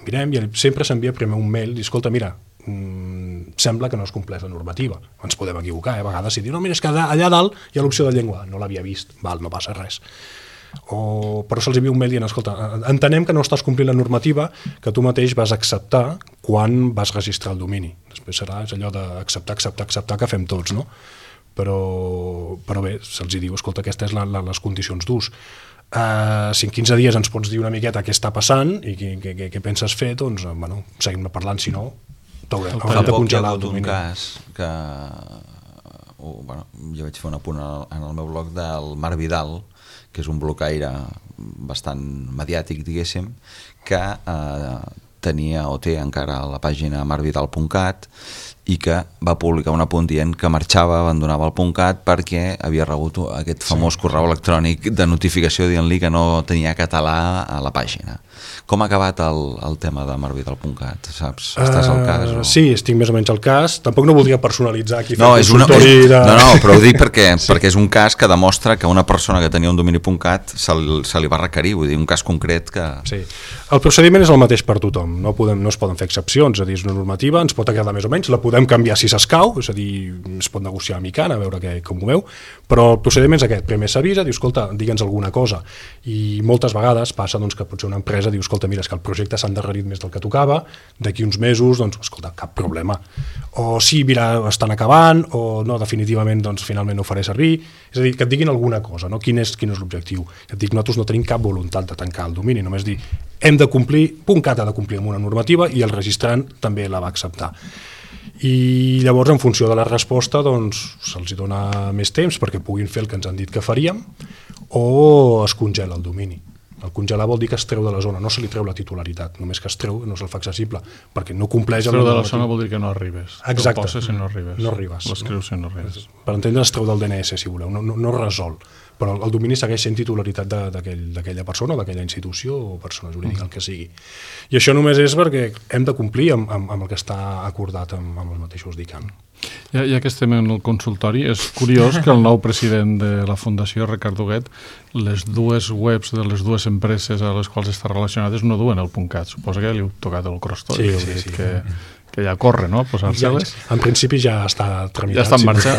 S5: mirem, i sempre s'envia primer un mail i escolta, mira, sembla que no es compleix la normativa, ens podem equivocar, a vegades si diu, no, mira, és que allà dalt hi ha l'opció de llengua, no l'havia vist, val, no passa res. Però se'ls envia un mail dient, escolta, entenem que no estàs complint la normativa que tu mateix vas acceptar quan vas registrar el domini. Després serà allò d'acceptar que fem tots, no? Però bé, se'ls diu, escolta, aquestes són les condicions d'ús. Si en 15 dies ens pots dir una miqueta què està passant i què penses fer, doncs, bueno, seguim parlant, si no, t'haurem de congelar el domini.
S4: Hi ha hagut un cas que jo vaig fer un apunt en el meu blog del Marc Vidal, que és un blocaire bastant mediàtic, diguéssim, que tenia o té encara la pàgina marcvidal.cat i que va publicar un apunt dient que marxava, abandonava el .cat perquè havia rebut aquest famós correu electrònic de notificació dient-li que no tenia català a la pàgina. Com ha acabat el tema de marcvidal.cat? Saps? Estàs al cas? O...
S5: Sí, estic més o menys al cas. Tampoc no voldria personalitzar aquí.
S4: No, però ho dic perquè és un cas que demostra que una persona que tenia un domini.cat se li va requerir, vull dir, un cas concret que... Sí.
S5: El procediment és el mateix per tothom, no es poden fer excepcions, és a dir, és una normativa, ens pot agradar més o menys, la podem canviar si s'escau, és a dir, es pot negociar a Mican, a veure com ho veu, però el procediment és aquest, primer s'avisa, diu, escolta, digue'ns alguna cosa, i moltes vegades passa que potser una empresa diu, escolta, mira, és que el projecte s'ha endarrerit més del que tocava, d'aquí uns mesos, doncs, escolta, cap problema. O sí, mira, estan acabant, o no, definitivament, doncs, finalment no ho faré servir, és a dir, que et diguin alguna cosa, no? Quin és l'objectiu. Et dic, nosaltres no tenim cap voluntat de tancar el domini, només dir, hem de complir, .cat ha de complir amb una normativa i el registrant també la va acceptar. I llavors, en funció de la resposta, doncs, se'ls dona més temps perquè puguin fer el que ens han dit que faríem o es congela el domini. El congelar vol dir que es treu de la zona, no se li treu la titularitat, només que es treu, no se'l fa accessible, perquè no compleix...
S2: Es treu de la zona vol dir que no arribes.
S5: Exacte.
S2: El poses si no arribes.
S5: No arribes.
S2: L'escrius si no arribes.
S5: Per entendre, es treu del DNS, si voleu, no resol. Però el domini segueix sent titularitat d'aquella persona, d'aquella institució o persona jurídica, el que sigui. I això només és perquè hem de complir amb el que està acordat amb els mateixos d'ICANN.
S2: Ja que estem en el consultori, és curiós que el nou president de la Fundació, Ricard Huguet, les dues webs de les dues empreses a les quals està relacionades no duen el .cat. Suposa que li heu tocat el crostoli. Sí. Que ja corre, no?, posar-se-les.
S5: En principi ja està tramitat.
S2: Ja està en marxa.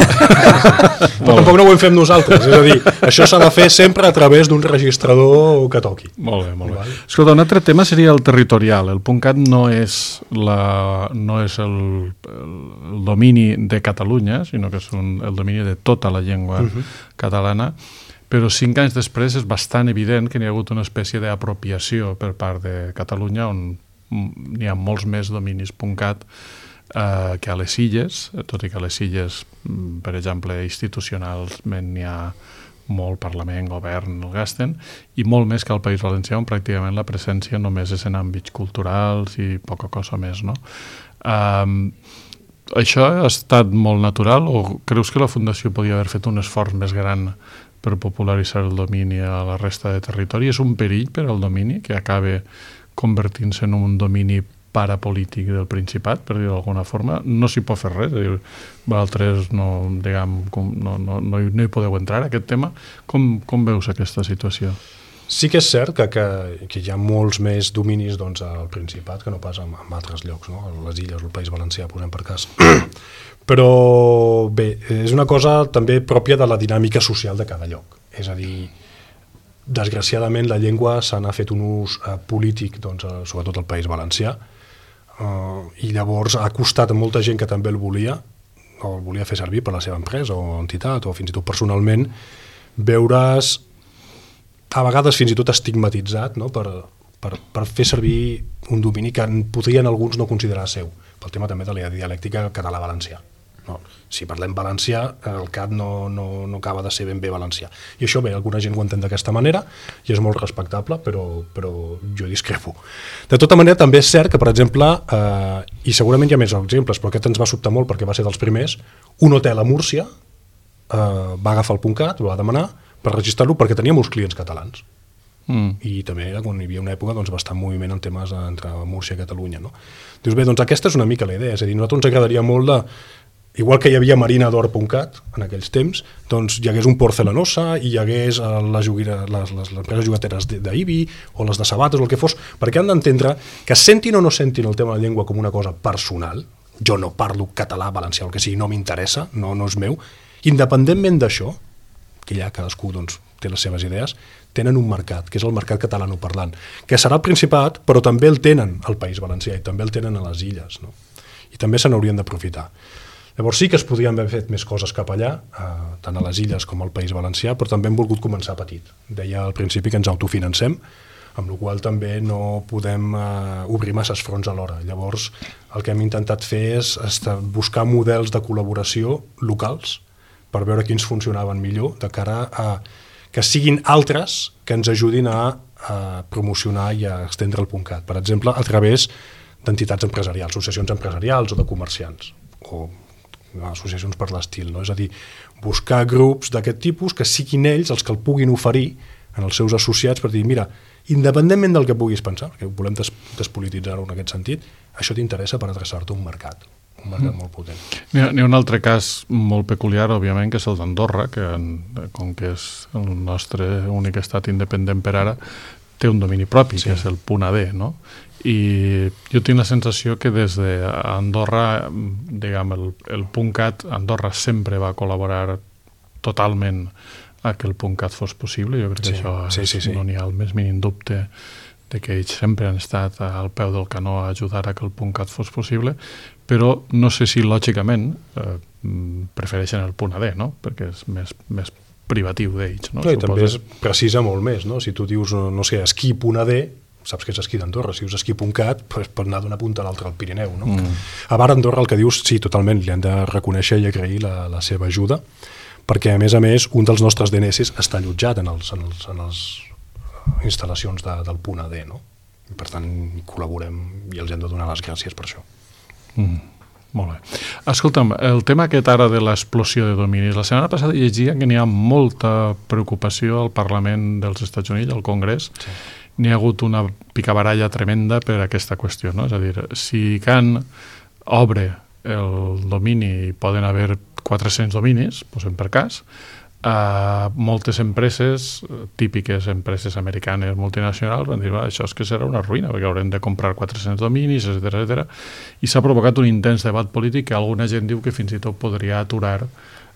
S5: Però tampoc no ho fem nosaltres, és a dir, això s'ha de fer sempre a través d'un registrador que toqui.
S2: Molt bé. Escolta, un altre tema seria el territorial. El .cat no és el domini de Catalunya, sinó que és el domini de tota la llengua catalana, però 5 anys després és bastant evident que n'hi ha hagut una espècie d'apropiació per part de Catalunya, on n'hi ha molts més dominis .cat que a les illes, tot i que a les illes, per exemple, institucionalment n'hi ha molt Parlament, Govern, el gasten, i molt més que al País Valencià, on pràcticament la presència només és en àmbits culturals i poca cosa més, no? Això ha estat molt natural o creus que la Fundació podia haver fet un esforç més gran per popularitzar el domini a la resta de territori? És un perill per al domini que acabe convertint-se en un domini parapolític del Principat, per dir-ho d'alguna forma? No s'hi pot fer res, és a dir, vosaltres no hi podeu entrar a aquest tema. Com veus aquesta situació?
S5: Sí que és cert que hi ha molts més dominis al Principat que no pas en altres llocs, no? Les illes, el País Valencià, posem per cas. Però bé, és una cosa també pròpia de la dinàmica social de cada lloc. És a dir, desgraciadament la llengua se n'ha fet un ús polític, sobretot al País Valencià, i llavors ha costat a molta gent que també el volia o el volia fer servir per la seva empresa o entitat o fins i tot personalment veure's a vegades fins i tot estigmatitzat, no? per fer servir un domini que podrien alguns no considerar seu, pel tema també de la dialèctica català-valencià. No. Si parlem valencià, el CAT no acaba de ser ben bé valencià. I això bé, alguna gent ho entén d'aquesta manera i és molt respectable, però jo discrepo. De tota manera, també és cert que, per exemple, i segurament hi ha més exemples, però aquest ens va sobtar molt perquè va ser dels primers, un hotel a Múrcia va agafar el .cat, ho va demanar per registrar-lo perquè tenia molts clients catalans. I també era quan hi havia una època bastant moviment en temes entre Múrcia i Catalunya. No? Dius, bé, doncs aquesta és una mica la idea, és a dir, a nosaltres ens agradaria molt de... Igual que hi havia marinador.cat en aquells temps, doncs hi hagués un Porcelanosa i hi hagués les empreses jugateres d'Ibi o les de sabates o el que fos, perquè han d'entendre que sentin o no sentin el tema de la llengua com una cosa personal, jo no parlo català, valencià, el que sigui, no m'interessa, no és meu, independentment d'això, que ja cadascú té les seves idees, tenen un mercat, que és el mercat catalanoparlant, que serà el Principat, però també el tenen al País Valencià i també el tenen a les illes, no? I també se n'haurien d'aprofitar. Llavors sí que es podrien haver fet més coses cap allà, tant a les illes com al País Valencià, però també hem volgut començar petit. Deia al principi que ens autofinancem, amb la qual també no podem obrir masses fronts alhora. Llavors el que hem intentat fer és buscar models de col·laboració locals per veure quins funcionaven millor de cara a que siguin altres que ens ajudin a promocionar i a estendre el .cat. Per exemple, a través d'entitats empresarials, associacions empresarials o de comerciants, o associacions per l'estil, no? És a dir, buscar grups d'aquest tipus que siguin ells els que el puguin oferir en els seus associats per dir, mira, independentment del que puguis pensar, perquè volem despolititzar-ho en aquest sentit, això t'interessa per adreçar-te a un mercat molt potent.
S2: N'hi ha un altre cas molt peculiar, òbviament, que és el d'Andorra, que com que és el nostre únic estat independent per ara, té un domini propi, que és el .ad, no? I jo tinc la sensació que des d'Andorra, diguem, el .cat, Andorra sempre va col·laborar totalment a que el .cat fos possible. Jo crec que això no n'hi ha el més mínim dubte de que ells sempre han estat al peu del canó a ajudar a que el .cat fos possible, però no sé si lògicament prefereixen el .ad, no? Perquè és més privatiu d'ells, no?
S5: I també es precisa molt més, no? Si tu dius, no sé, esquí.ad, saps que és esquí d'Andorra, si dius esquí.cat pot anar d'una punta a l'altra al Pirineu, no? A Bar Andorra el que dius, sí, totalment, li hem de reconèixer i agrair la seva ajuda, perquè a més, un dels nostres DNS està allotjat en les instal·lacions del .ad, no? I per tant col·laborem i els hem de donar les gràcies per això.
S2: Molt bé. Escolta'm, el tema aquest ara de l'explosió de dominis, la setmana passada llegia que n'hi ha molta preocupació al Parlament dels Estats Units, al Congrés. N'hi ha hagut una picabaralla tremenda per aquesta qüestió, no? És a dir, si Can obre el domini i poden haver 400 dominis, posem per cas, moltes empreses, típiques empreses americanes multinacionals, van dir, això és que serà una ruïna, perquè haurem de comprar 400 dominis, etc. I s'ha provocat un intens debat polític que alguna gent diu que fins i tot podria aturar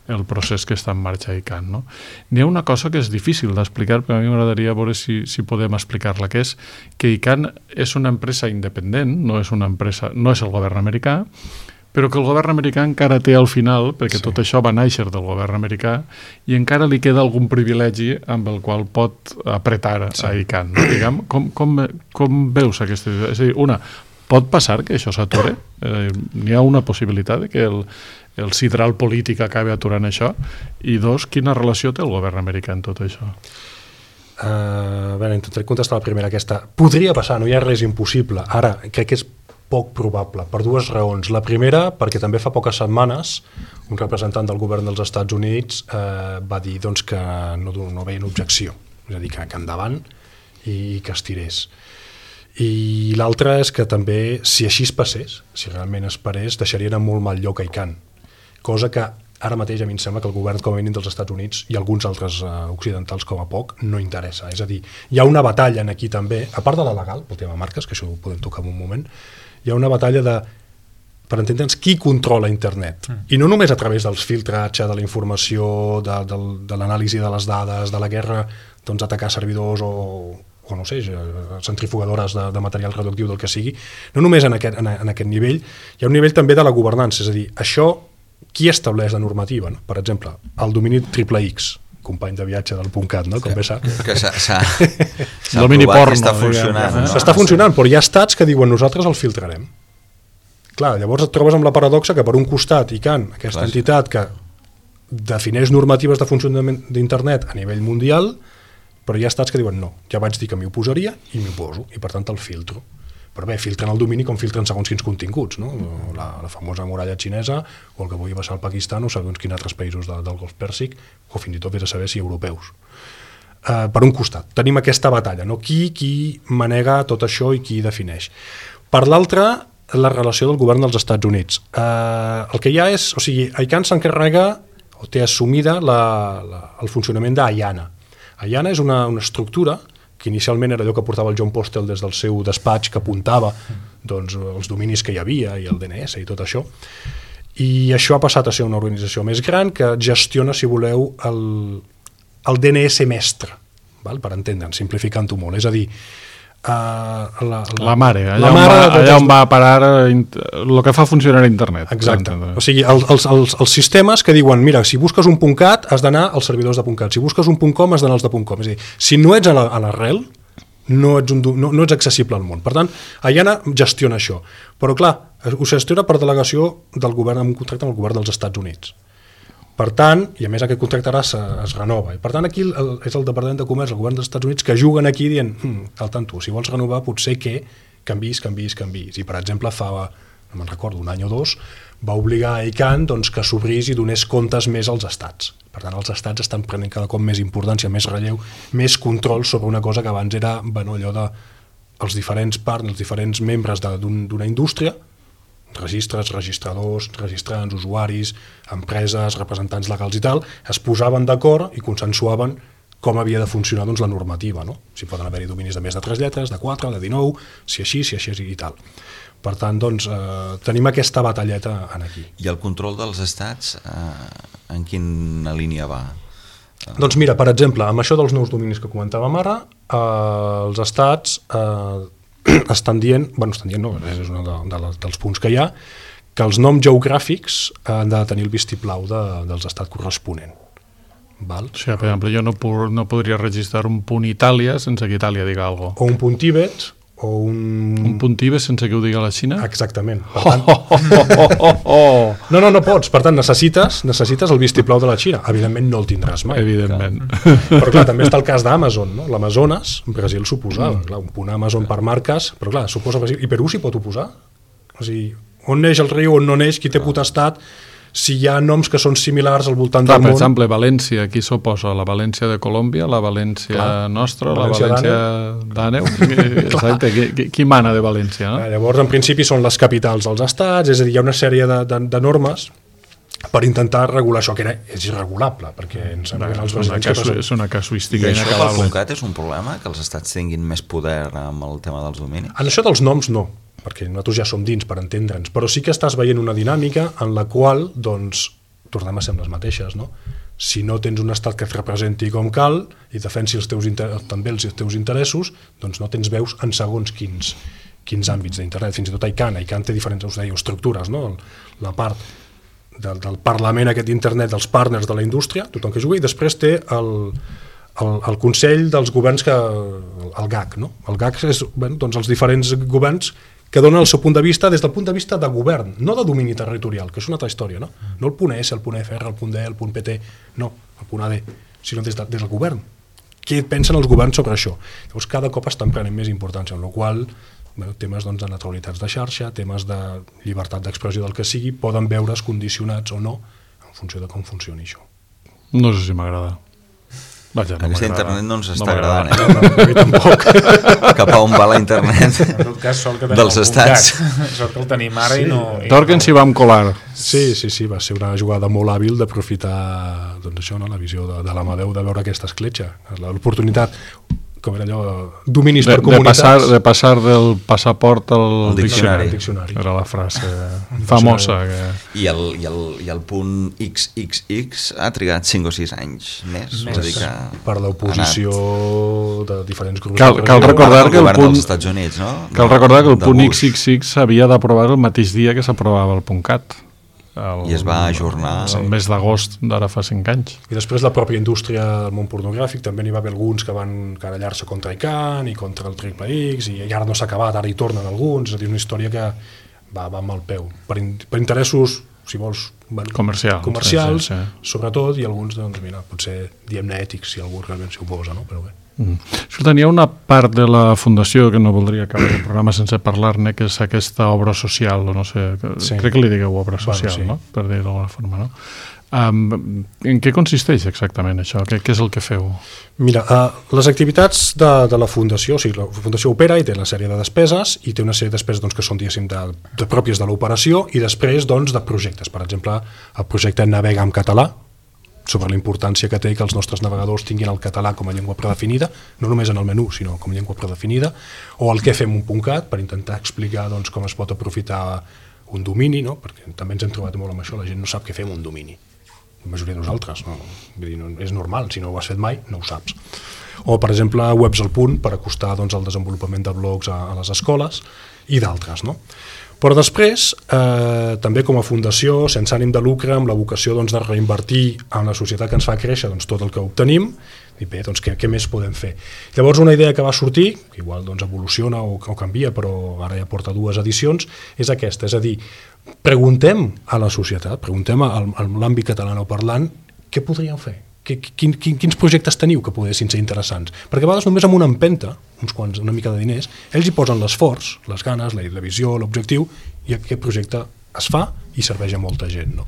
S2: el procés que està en marxa a ICANN, no? N'hi ha una cosa que és difícil d'explicar, però a mi m'agradaria veure si podem explicar-la, que és que ICANN és una empresa independent, no és el govern americà, però que el govern americà encara té al final, perquè tot això va néixer del govern americà, i encara li queda algun privilegi amb el qual pot apretar a ICANN. No? Diguem, com veus aquesta idea? És a dir, una, pot passar que això s'ature? N'hi ha una possibilitat de que el sidral polític acabi aturant això? I dos, quina relació té el govern americà en tot això?
S5: Intentaré contestar la primera, aquesta. Podria passar, no hi ha res impossible. Ara, crec que és poc probable, per dues raons. La primera, perquè també fa poques setmanes un representant del govern dels Estats Units va dir que no veien objecció, és a dir, que endavant i que es tirés. I l'altra és que també, si així es passés, si realment es parés, deixarien en molt mal lloc a ICANN, cosa que ara mateix a mi em sembla que el govern com a mínim dels Estats Units i alguns altres occidentals com a poc no interessa. És a dir, hi ha una batalla aquí també, a part de la legal, pel tema marques, que això ho podem tocar en un moment, hi ha una batalla per entendre'ns qui controla internet. I no només a través dels filtratge, de la informació, de l'anàlisi de les dades, de la guerra, atacar servidors o o no sé, centrifugadores de material radioactiu del que sigui, no només en aquest nivell, hi ha un nivell també de la governança, és a dir, això, qui estableix la normativa? No? Per exemple, el domini XXX, company de viatge del .cat, no? Com bé saps.
S4: Que s'ha
S2: domini
S4: provat
S2: porno,
S4: i està funcionant. No?
S5: S'està funcionant, però hi ha estats que diuen nosaltres el filtrarem. Clar, llavors et trobes amb la paradoxa que per un costat ICANN, aquesta entitat que defineix normatives de funcionament d'internet a nivell mundial, però hi ha estats que diuen no, ja vaig dir que m'hi oposaria i m'hi oposo, i per tant el filtro. Però bé, filtren el domini com filtren segons quins continguts, no? La famosa muralla xinesa, o el que vulgui passar al Pakistan, o segons quins altres països del Golf Pèrsic, o fins i tot vés a saber si europeus. Per un costat, tenim aquesta batalla, no? Qui manega tot això i qui defineix. Per l'altre, la relació del govern dels Estats Units. El que hi ha és, o sigui, ICANN s'encarrega o té assumida el funcionament d'AIANA. AIANA és una estructura que inicialment era allò que portava el John Postel des del seu despatx, que apuntava doncs, els dominis que hi havia i el DNS i tot això. I això ha passat a ser una organització més gran que gestiona, si voleu, el DNS mestre, val? Per entendre'n, simplificant-ho molt. És a dir,
S2: la mare, allà on va a parar el que fa funcionar internet.
S5: Exacte, o sigui, els sistemes que diuen, mira, si busques un .cat has d'anar als servidors de .cat, si busques un .com has d'anar als de .com, és a dir, si no ets a l'arrel no ets accessible al món. Per tant, IANA gestiona això, però clar, ho gestiona per delegació del govern, amb un contracte amb el govern dels Estats Units. Per tant, i a més aquest contracte ara es renova, i per tant aquí és el Departament de Comerç, el govern dels Estats Units, que juguen aquí dient, cal tant tu, si vols renovar potser que canvis. I per exemple no me'n recordo, un any o dos, va obligar a ICANN doncs, que s'obrís i donés comptes més als estats. Per tant, els estats estan prenent cada cop més importància, més relleu, més control sobre una cosa que abans era allò de els diferents partners, els diferents membres d'una indústria, registres, registradors, registrants, usuaris, empreses, representants legals i tal, es posaven d'acord i consensuaven com havia de funcionar doncs, la normativa, no? Si poden haver-hi dominis de més de 3 lletres, de 4, de 19, si així i tal. Per tant, doncs, tenim aquesta batalleta aquí.
S4: I el control dels estats en quina línia va?
S5: Doncs mira, per exemple, amb això dels nous dominis que comentàvem ara, els estats estan dient no, és un dels punts que hi ha, que els noms geogràfics han de tenir el vistiplau dels estats corresponent. Val?
S2: O sigui, per exemple, jo no podria registrar un punt Itàlia sense que Itàlia diga alguna cosa.
S5: O un punt Tibet, o un
S2: punt Tibet sense que ho digui la Xina?
S5: Exactament. Per tant... No pots. Per tant, necessites el vistiplau de la Xina. Evidentment no el tindràs mai.
S2: Evidentment.
S5: Però clar, també està el cas d'Amazon, no? L'Amazones, Brasil s'oposava. Clar, un punt Amazon per marques, però clar, s'oposa Brasil. I Perú s'hi pot oposar? O sigui, on neix el riu, on no neix, qui té potestat... si hi ha noms que són similars al voltant del món...
S2: Per exemple, València, qui s'oposa? La València de Colòmbia, la València nostra, la València d'Àneu? Exacte, qui mana de València? No?
S5: Llavors, en principi, són les capitals dels estats, és a dir, hi ha una sèrie de normes per intentar regular això, que és irregulable, perquè ens sembla que els
S2: brasileños... És una casuística
S4: inacabable. I això pel .cat és un problema, que els estats tinguin més poder amb el tema dels dominis?
S5: En això dels noms, no, perquè nosaltres ja som dins per entendre'ns, però sí que estàs veient una dinàmica en la qual, doncs, tornem a ser les mateixes, no? Si no tens un estat que et representi com cal i defensi també els teus interessos, doncs no tens veus en segons quins àmbits d'internet. Fins i tot ICANN té diferents estructures, no? La part del Parlament aquest d'internet, dels partners de la indústria, tothom que jugui, i després té el Consell dels Governs, el GAC, no? El GAC és doncs els diferents governs que donen el seu punt de vista des del punt de vista de govern, no de domini territorial, que és una altra història, no? No el punt S, el punt FR, el punt D, el punt PT, no, el punt AD, sinó des del govern. Què pensen els governs sobre això? Llavors cada cop estan prenent més importància, en la qual temes de neutralitats de xarxa, temes de llibertat d'expressió del que sigui, poden veure's condicionats o no en funció de com funcioni això.
S2: No sé si m'agrada. Vaja,
S4: aquesta internet no ens està agradant,
S5: No, tampoc.
S4: Cap a on va la internet dels estats.
S3: Sort que el tenim ara i no...
S2: Torquen s'hi vam colar.
S5: Sí, va ser una jugada molt hàbil d'aprofitar doncs això, no? La visió de l'Amadeu de veure aquesta escletxa, l'oportunitat. com era allò, dominis per comunitats.
S2: De passar del passaport al
S4: diccionari.
S2: Era la frase famosa.
S4: I el punt XXX ha trigat 5 o 6 anys més. És a dir que
S5: per l'oposició de diferents grups.
S2: Cal recordar que el punt
S4: dels Estats Units, no?
S2: Cal recordar que el punt XXX s'havia d'aprovar el mateix dia que s'aprovava el punt CAT.
S4: I es va ajornar
S2: el mes d'agost d'ara fa 5 anys.
S5: I després la pròpia indústria del món pornogràfic també n'hi va haver alguns que van querellar-se contra ICANN i contra el Triple X i ara no s'ha acabat, ara hi tornen alguns, és a dir, una història que va amb el peu per interessos, si vols, comercials, sí. Sobretot, i alguns, doncs mira, potser diem-ne ètics si algú realment s'hi oposa, no? Però bé.
S2: Escolta, hi ha una part de la Fundació que no voldria acabar el programa sense parlar-ne, que és aquesta obra social, o no sé, sí. Crec que li digueu obra social, sí. No? Per dir-ho d'alguna forma, no? En què consisteix exactament això? Què és el que feu?
S5: Mira, les activitats de la Fundació, o sigui, la Fundació opera i té una sèrie de despeses, i té una sèrie de despeses doncs, que són, diguéssim, de pròpies de l'operació, i després doncs, de projectes. Per exemple, el projecte Navega en català, sobre la importància que té que els nostres navegadors tinguin el català com a llengua predefinida, no només en el menú, sinó com a llengua predefinida, o el que fem .cat, per intentar explicar doncs, com es pot aprofitar un domini, no? Perquè també ens hem trobat molt amb això, la gent no sap què fem un domini. La majoria de nosaltres, no? Vull dir, no, és normal, si no ho has fet mai, no ho saps. O, per exemple, Webs al punt, per acostar doncs, el desenvolupament de blogs a les escoles, i d'altres, no? Però després, també com a fundació, sense ànim de lucre, amb la vocació doncs, de reinvertir en la societat que ens fa créixer doncs, tot el que obtenim, i bé, doncs, què més podem fer? Llavors una idea que va sortir, que igual doncs, evoluciona o canvia, però ara ja porta 2 edicions, és aquesta, és a dir, preguntem a la societat, preguntem a l'àmbit catalanoparlant què podríem fer? Quins projectes teniu que poguessin ser interessants? Perquè a vegades només amb una empenta, uns quants, una mica de diners, ells hi posen l'esforç, les ganes, la visió, l'objectiu, i aquest projecte es fa i serveix a molta gent. No?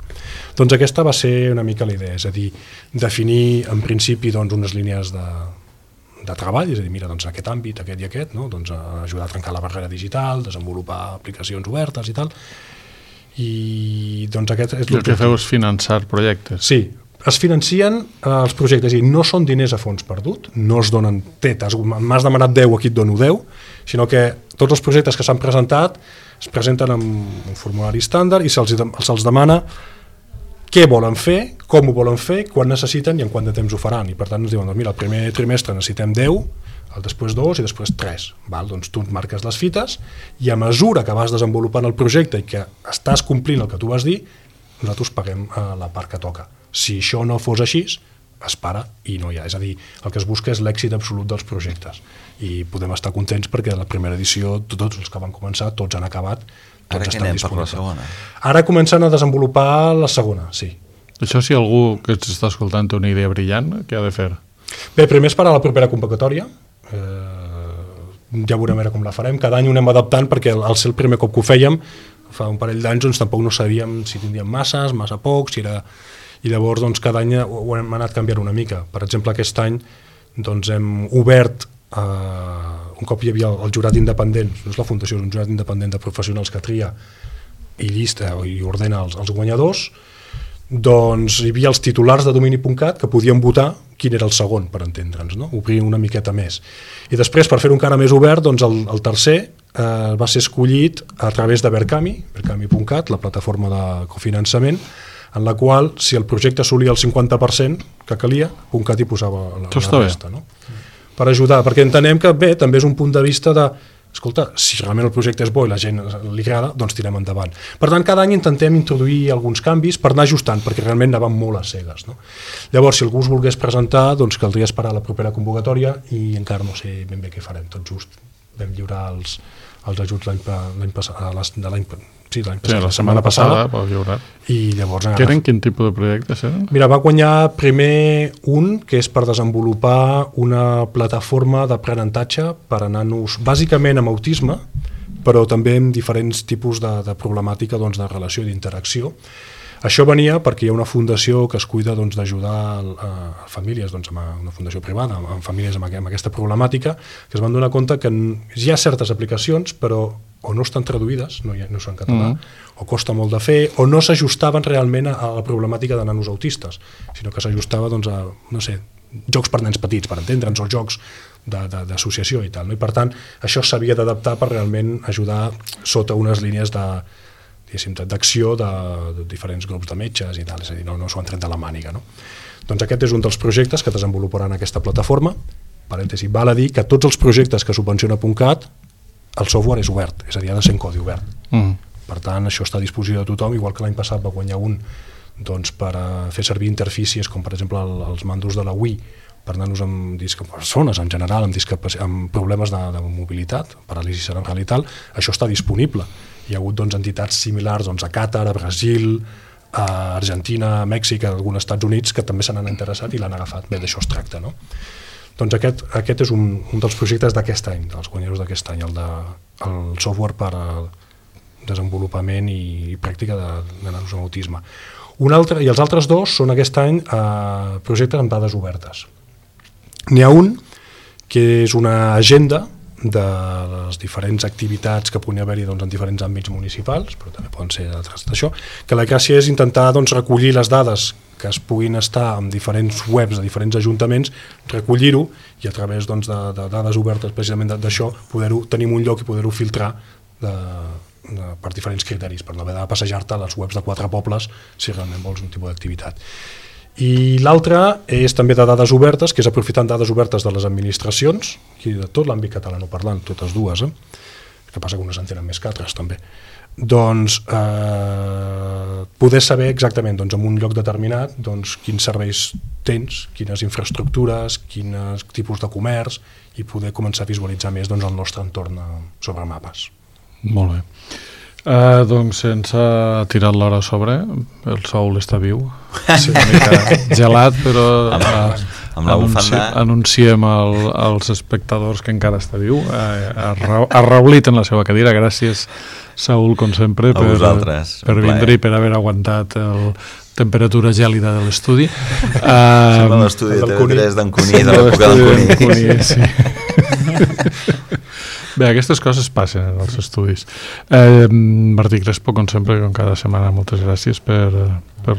S5: Doncs aquesta va ser una mica la idea, és a dir, definir en principi doncs, unes línies de treball, és a dir, mira, doncs, aquest àmbit, aquest i aquest, no? Doncs, ajudar a trencar la barrera digital, desenvolupar aplicacions obertes i tal, i doncs aquest és
S2: l'objectiu. El que feu és finançar projectes.
S5: Sí, es financien els projectes i no són diners a fons perdut, no es donen m'has demanat 10, aquí et dono 10, sinó que tots els projectes que s'han presentat es presenten amb un formulari estàndard i se'ls demana què volen fer, com ho volen fer, quan necessiten i en quant de temps ho faran. I per tant ens diuen, doncs mira, el primer trimestre necessitem 10, el després 2 i després 3. Val? Doncs tu marques les fites i a mesura que vas desenvolupant el projecte i que estàs complint el que tu vas dir, nosaltres paguem la part que toca. Si això no fos així, es para i no hi ha. És a dir, el que es busca és l'èxit absolut dels projectes. I podem estar contents perquè a la primera edició, tots els que van començar, tots han acabat, tots estan disponibles. Per la segona? Ara comencen a desenvolupar la segona, sí.
S2: Això si algú que ens està escoltant té una idea brillant, què ha de fer?
S5: Bé, primer esperar la propera convocatòria. Ja veurem com la farem. Cada any ho anem adaptant perquè al ser el primer cop que ho fèiem, fa un parell d'anys doncs, tampoc no sabíem si tindríem massa pocs, si era... I llavors doncs, cada any ho hem anat canviant una mica. Per exemple, aquest any doncs, hem obert, un cop hi havia el jurat independent, no és la fundació, és un jurat independent de professionals que tria i llista i ordena els guanyadors, doncs hi havia els titulars de domini.cat que podien votar quin era el segon, per entendre'ns, no? Obrir una miqueta més. I després, per fer-ho encara més obert, doncs el tercer va ser escollit a través de Berkami.cat, la plataforma de cofinançament, en la qual, si el projecte assolia el 50% que calia, .cat hi posava la resta. No? Per ajudar, perquè entenem que bé, també és un punt de vista de, escolta, si realment el projecte és bo i la gent li agrada, doncs tirem endavant. Per tant, cada any intentem introduir alguns canvis per anar ajustant, perquè realment anàvem molt a cegues. No? Llavors, si algú es volgués presentar, doncs caldria esperar la propera convocatòria i encara no sé ben bé què farem. Tot just vam lliurar els ajuts la setmana passada. I llavors...
S2: Què eren? Quin tipus de projectes eren?
S5: Mira, va guanyar primer un que és per desenvolupar una plataforma d'aprenentatge per a nanos, bàsicament amb autisme, però també amb diferents tipus de problemàtica doncs, de relació i d'interacció. Això venia perquè hi ha una fundació que es cuida doncs, d'ajudar a famílies, doncs, una fundació privada, amb famílies amb aquesta problemàtica, que es van donar compte que hi ha certes aplicacions, però o no estan traduïdes, no són en català, o costa molt de fer, o no s'ajustaven realment a la problemàtica de nanos autistes, sinó que s'ajustava doncs, a, no sé, jocs per nens petits, per entendre'ns, o jocs d'associació i tal, no? I per tant això s'havia d'adaptar per realment ajudar sota unes línies d'acció de diferents grups de metges i tal, és a dir, no s'ho han tret de la màniga, no? Doncs aquest és un dels projectes que desenvoluparan aquesta plataforma. Parèntesi, val a dir que tots els projectes que subvenciona .cat el software és obert, és a dir, ha de ser en codi obert. Per tant, això està a disposició de tothom, igual que l'any passat va guanyar un per fer servir interfícies com per exemple els mandos de la Wii per nanos amb persones en general amb problemes de mobilitat, paràlisi cerebral i tal. Això està disponible. Hi ha hagut entitats similars a Qatar, a Brasil, a Argentina, a Mèxic, a alguns Estats Units que també se n'han interessat i l'han agafat. Bé, d'això es tracta, no? Doncs aquest és un dels projectes d'aquest any, dels guanyadors d'aquest any, el software per al desenvolupament i pràctica de nanos amb autisme. Un altre, i els altres dos són aquest any projectes amb dades obertes. N'hi ha un que és una agenda de les diferents activitats que pugui haver-hi en diferents àmbits municipals, però també poden ser altres d'això, que la gràcia és intentar recollir les dades que es puguin estar en diferents webs de diferents ajuntaments, recollir-ho i a través de dades obertes precisament d'això poder-ho tenir un lloc i poder-ho filtrar per diferents criteris, per no haver de passejar-te a les webs de 4 pobles si realment vols un tipus d'activitat. I l'altre és també de dades obertes, que és aprofitant dades obertes de les administracions, i de tot l'àmbit catalanoparlant, totes dues, que passa que unes en tenen més que altres també, doncs poder saber exactament en un lloc determinat quins serveis tens, quines infraestructures, quins tipus de comerç, i poder començar a visualitzar més el nostre entorn sobre mapes.
S2: Molt bé. Doncs se'ns ha tirat l'hora a sobre, el Saúl està viu, una mica gelat, però anunciem als espectadors que encara està viu, arraulit en la seva cadira. Gràcies, Saúl, com sempre, per vindre i per haver aguantat la temperatura gèlida de l'estudi.
S4: Sembla l'estudi de TV3 d'en Cuní, de l'època d'en Cuní.
S2: Bé, aquestes coses passen en els estudis. Martí Crespo, com sempre, com cada setmana, moltes gràcies per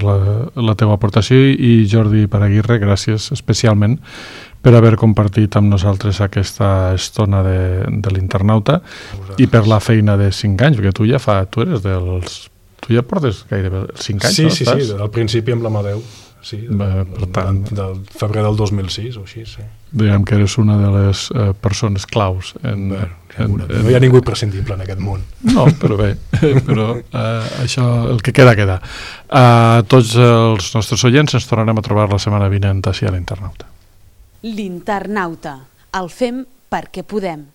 S2: la teva aportació, i Jordi Paraguirre, gràcies especialment per haver compartit amb nosaltres aquesta estona de l'internauta i per la feina de 5 anys, perquè tu ja portes gairebé 5 anys, no?
S5: Sí, al principi amb l'Amadeu. Sí, del febrer del 2006 o així, sí.
S2: Diguem que eres una de les persones claus.
S5: No hi ha ningú imprescindible en aquest món.
S2: No, però bé, això, el que queda. A tots els nostres oients ens tornarem a trobar la setmana vinent així a l'Internauta.
S1: L'Internauta. El fem perquè podem.